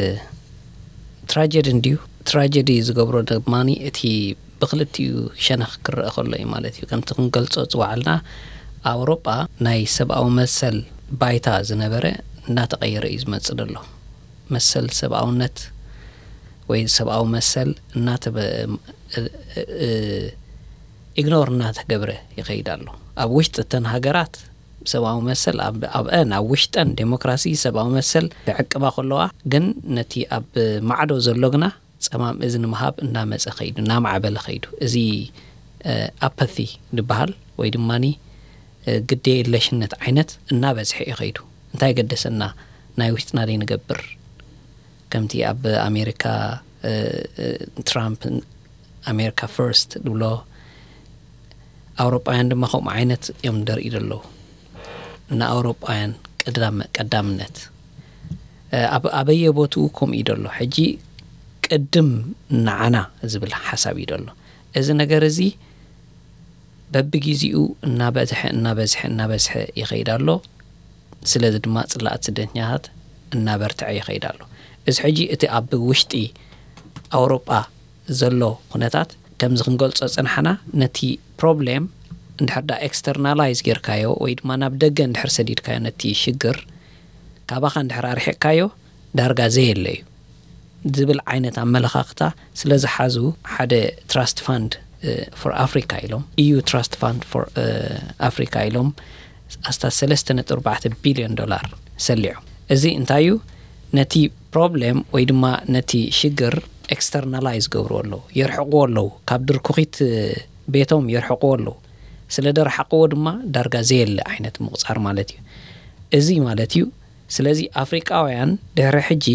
ትራጀዲ እንድዩ። ትራጀዲ ዝገብሮ ድማ እቲ ብክልቲኡ ሸነኽ ክረአ ከሎ እዩ ማለት እዩ። ከምቲ ክንገልጾ ዝወዓልና ኣውሮጳ ናይ ሰብኣዊ መሰል ባይታ ዝነበረ እናተቐየረ እዩ ዝመጽእ ዘሎ። መሰል ሰብኣውነት ወይ ሰብኣዊ መሰል እናተበ እ፣ እ፣ እ፣ ኢግኖር እናተገብረ ይኸይድ ኣሎ። ኣብ ውሽጢ እተን ሃገራት ሰብኣዊ መሰል ኣብ ኣብአን ኣብ ውሽጠን ዴሞክራሲ ሰብኣዊ መሰል ክዕቅባ ከለዋ ግን ነቲ ኣብ ማዕዶ ዘሎ ግና ጸማም እዝኒ ምሃብ እናመጸ ኸይዱ እናማዕበለ ኸይዱ እዚ ኣፓቲ ዝበሃል ወይ ድማ ግዴ የለሽነት ዓይነት እናበዝሐ እዩ ኸይዱ። እንታይ ገደሰና? ናይ ውሽጥና ደይ ንገብር ከምቲ ኣብ ኣሜሪካ ትራምፕ ኣሜሪካ ፈርስት ዝብሎ ኣውሮጳውያን ድማ ከምኡ ዓይነት እዮም ደርኢ ዘለዉ። ንኣውሮጳውያን ቀዳምነት ኣብ ኣበየ ቦትኡ ከምኡ እዩ ዘሎ። ሕጂ ቅድም ንዓና ዝብል ሓሳብ እዩ ዘሎ። እዚ ነገር እዚ በብግዜኡ እናበዝሐ እናበዝሐ እናበዝሐ ይኸይድ ኣሎ። ስለዚ ድማ ጽላኣት ስደተኛታት እናበርትዐ ይኸይድ ኣሎ። እዚ ሕጂ እቲ ኣብ ውሽጢ ኣውሮጳ ዘሎ ኩነታት ከምዚ ክንገልጾ ጽንሓና ነቲ ፕሮብሌም እንድሕር ዳ ኤክስተርናላይዝ ጌርካዮ ወይ ድማ ናብ ደገ እንድሕር ሰዲድካዮ ነቲ ሽግር ካባኻ እንድሕር ኣርሒቕካዮ ዳርጋ ዘየለ እዩ ዝብል ዓይነት ኣመለኻኽታ ስለ ዝሓዙ ሓደ ትራስት ፋንድ ፎር ኣፍሪካ ኢሎም ኢዩ ትራስት ፋንድ ፎር ኣፍሪካ ኢሎም ኣስታት ሰለስተ ነጥቢ ኣርባዕተ ቢልዮን ዶላር ሰሊዖም። እዚ እንታይ እዩ? ነቲ ፕሮብሌም ወይ ድማ ነቲ ሽግር ኤክስተርናላይዝ ገብርዎ ኣለዉ፣ የርሕቕዎ ኣለዉ፣ ካብ ድርኩኺት ቤቶም የርሕቕዎ ኣለዉ። ስለ ደርሓቕዎ ድማ ዳርጋ ዘየለ ዓይነት ምቑጻር ማለት እዩ። እዚ ማለት እዩ። ስለዚ ኣፍሪቃውያን ድሕሪ ሕጂ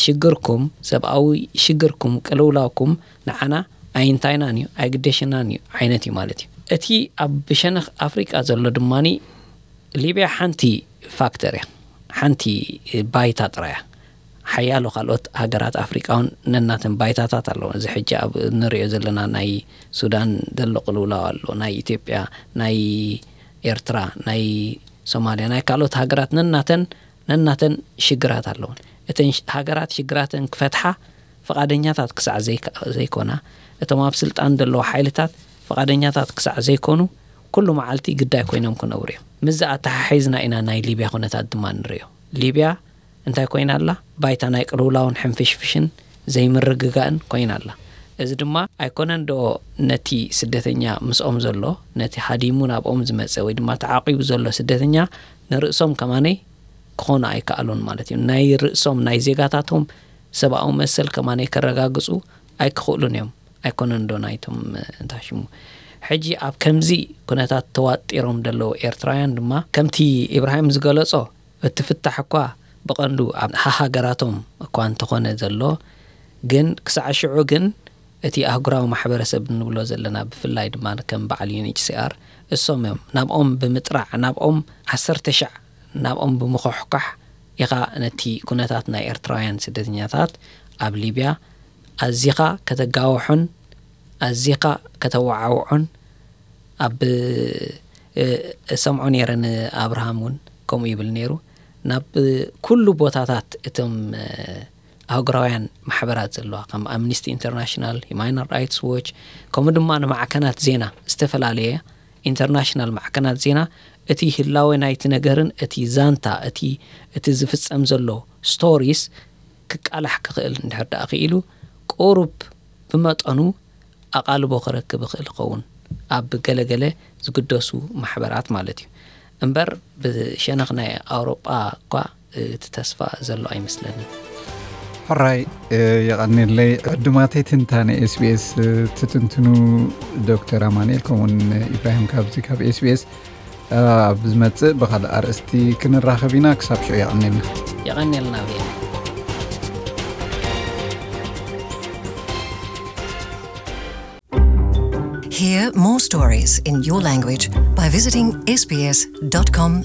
ሽግርኩም፣ ሰብኣዊ ሽግርኩም፣ ቅልውላውኩም ንዓና ኣይንታይናን እዩ፣ ኣይግደሽናን እዩ ዓይነት እዩ ማለት እዩ። እቲ ኣብ ብሸነኽ ኣፍሪቃ ዘሎ ድማኒ ሊብያ ሓንቲ ፋክተር እያ፣ ሓንቲ ባይታ ጥራይ እያ። ሓያሎ ካልኦት ሃገራት ኣፍሪቃ እውን ነናተን ባይታታት ኣለዎ። እዚ ሕጂ ኣብ ንሪኦ ዘለና ናይ ሱዳን ዘሎ ቅልውላው ኣሎ፣ ናይ ኢትዮጵያ፣ ናይ ኤርትራ፣ ናይ ሶማልያ፣ ናይ ካልኦት ሃገራት ነናተን ነናተን ሽግራት ኣለውን። እተን ሽ- ሃገራት ሽግራተን ክፈትሓ ፈቓደኛታት ክሳዕ ዘይከ- ዘይኮና፣ እቶም ኣብ ስልጣን ዘለዉ ሓይልታት ፈቓደኛታት ክሳዕ ዘይኮኑ፣ ኩሉ መዓልቲ ግዳይ ኮይኖም ክነብሩ እዮም። ምስዚ ኣተሓሒዝና ኢና ናይ ሊብያ ኩነታት ድማ ንርእዮ። ሊብያ እንታይ ኮይና ኣላ? ባይታ ናይ ቅልውላውን ሕንፍሽፍሽን ዘይምርግጋእን ኮይና ኣላ። እዚ ድማ ኣይኮነን ዶ ነቲ ስደተኛ ምስኦም ዘሎ፣ ነቲ ሃዲሙ ናብኦም ዝመጸ ወይ ድማ ተዓቂቡ ዘሎ ስደተኛ ንርእሶም ከማነይ ክኾኑ ኣይከኣሉን ማለት እዩ። ናይ ርእሶም ናይ ዜጋታቶም ሰብኣዊ መሰል ከማነይ ከረጋግጹ ኣይክኽእሉን እዮም። ኣይኮነን ዶ ናይቶም እንታይ ሽሙ ሕጂ ኣብ ከምዚ ኩነታት ተዋጢሮም ዘለዉ ኤርትራውያን ድማ ከምቲ ኢብራሂም ዝገለጾ እቲ ፍታሕ እኳ ብቐንዱ ኣብ ሃሃገራቶም እኳ እንተኾነ ዘሎ ግን ክሳዕ ሽዑ ግን እቲ ኣህጉራዊ ማሕበረሰብ እንብሎ ዘለና ብፍላይ ድማ ከም በዓል ዩኤንኤችሲኣር እሶም እዮም ናብኦም ብምጥራዕ ናብኦም ዓሰርተ ሻዕ ናብኦም ብምኹሕኳሕ ኢኻ ነቲ ኩነታት ናይ ኤርትራውያን ስደተኛታት ኣብ ሊብያ ኣዚኻ ከተጋውሖን ኣዚኻ ከተወዓውዖን ኣብ እሰምዖ ነይረ ንኣብርሃም እውን ከምኡ ይብል ነይሩ ናብ ኩሉ ቦታታት እቶም ኣህጉራውያን ማሕበራት ዘለዋ ከም ኣምኒስቲ ኢንተርናሽናል ሂማን ራይትስ ዎች ከምኡ ድማ ንማዕከናት ዜና ዝተፈላለየ ኢንተርናሽናል ማዕከናት ዜና እቲ ህላወ ናይቲ ነገርን እቲ ዛንታ እቲ እቲ ዝፍጸም ዘሎ ስቶሪስ ክቃላሕ ክኽእል እንድሕር ደኣ ክኢሉ ቁሩብ ብመጠኑ ኣቓልቦ ክረክብ ይኽእል ይኸውን ኣብ ገለገለ ዝግደሱ ማሕበራት ማለት እዩ እምበር ብሸነኽ ናይ ኣውሮጳ እኳ እቲ ተስፋ ዘሎ ኣይመስለንን። ሕራይ የቐኒለይ ዕዱማተይ ትንታነ ኤስቢኤስ ትትንትኑ ዶክተር ኣማንኤል ከምኡውን ኢብራሂም ካብዚ ካብ ኤስቢኤስ ኣብ ዝመጽእ ብኻልእ ኣርእስቲ ክንራኸብ ኢና። ክሳብ ሽዑ የቐኒልና። የቐኒልና ብየ Hear more stories in your language by visiting sbs.com.au.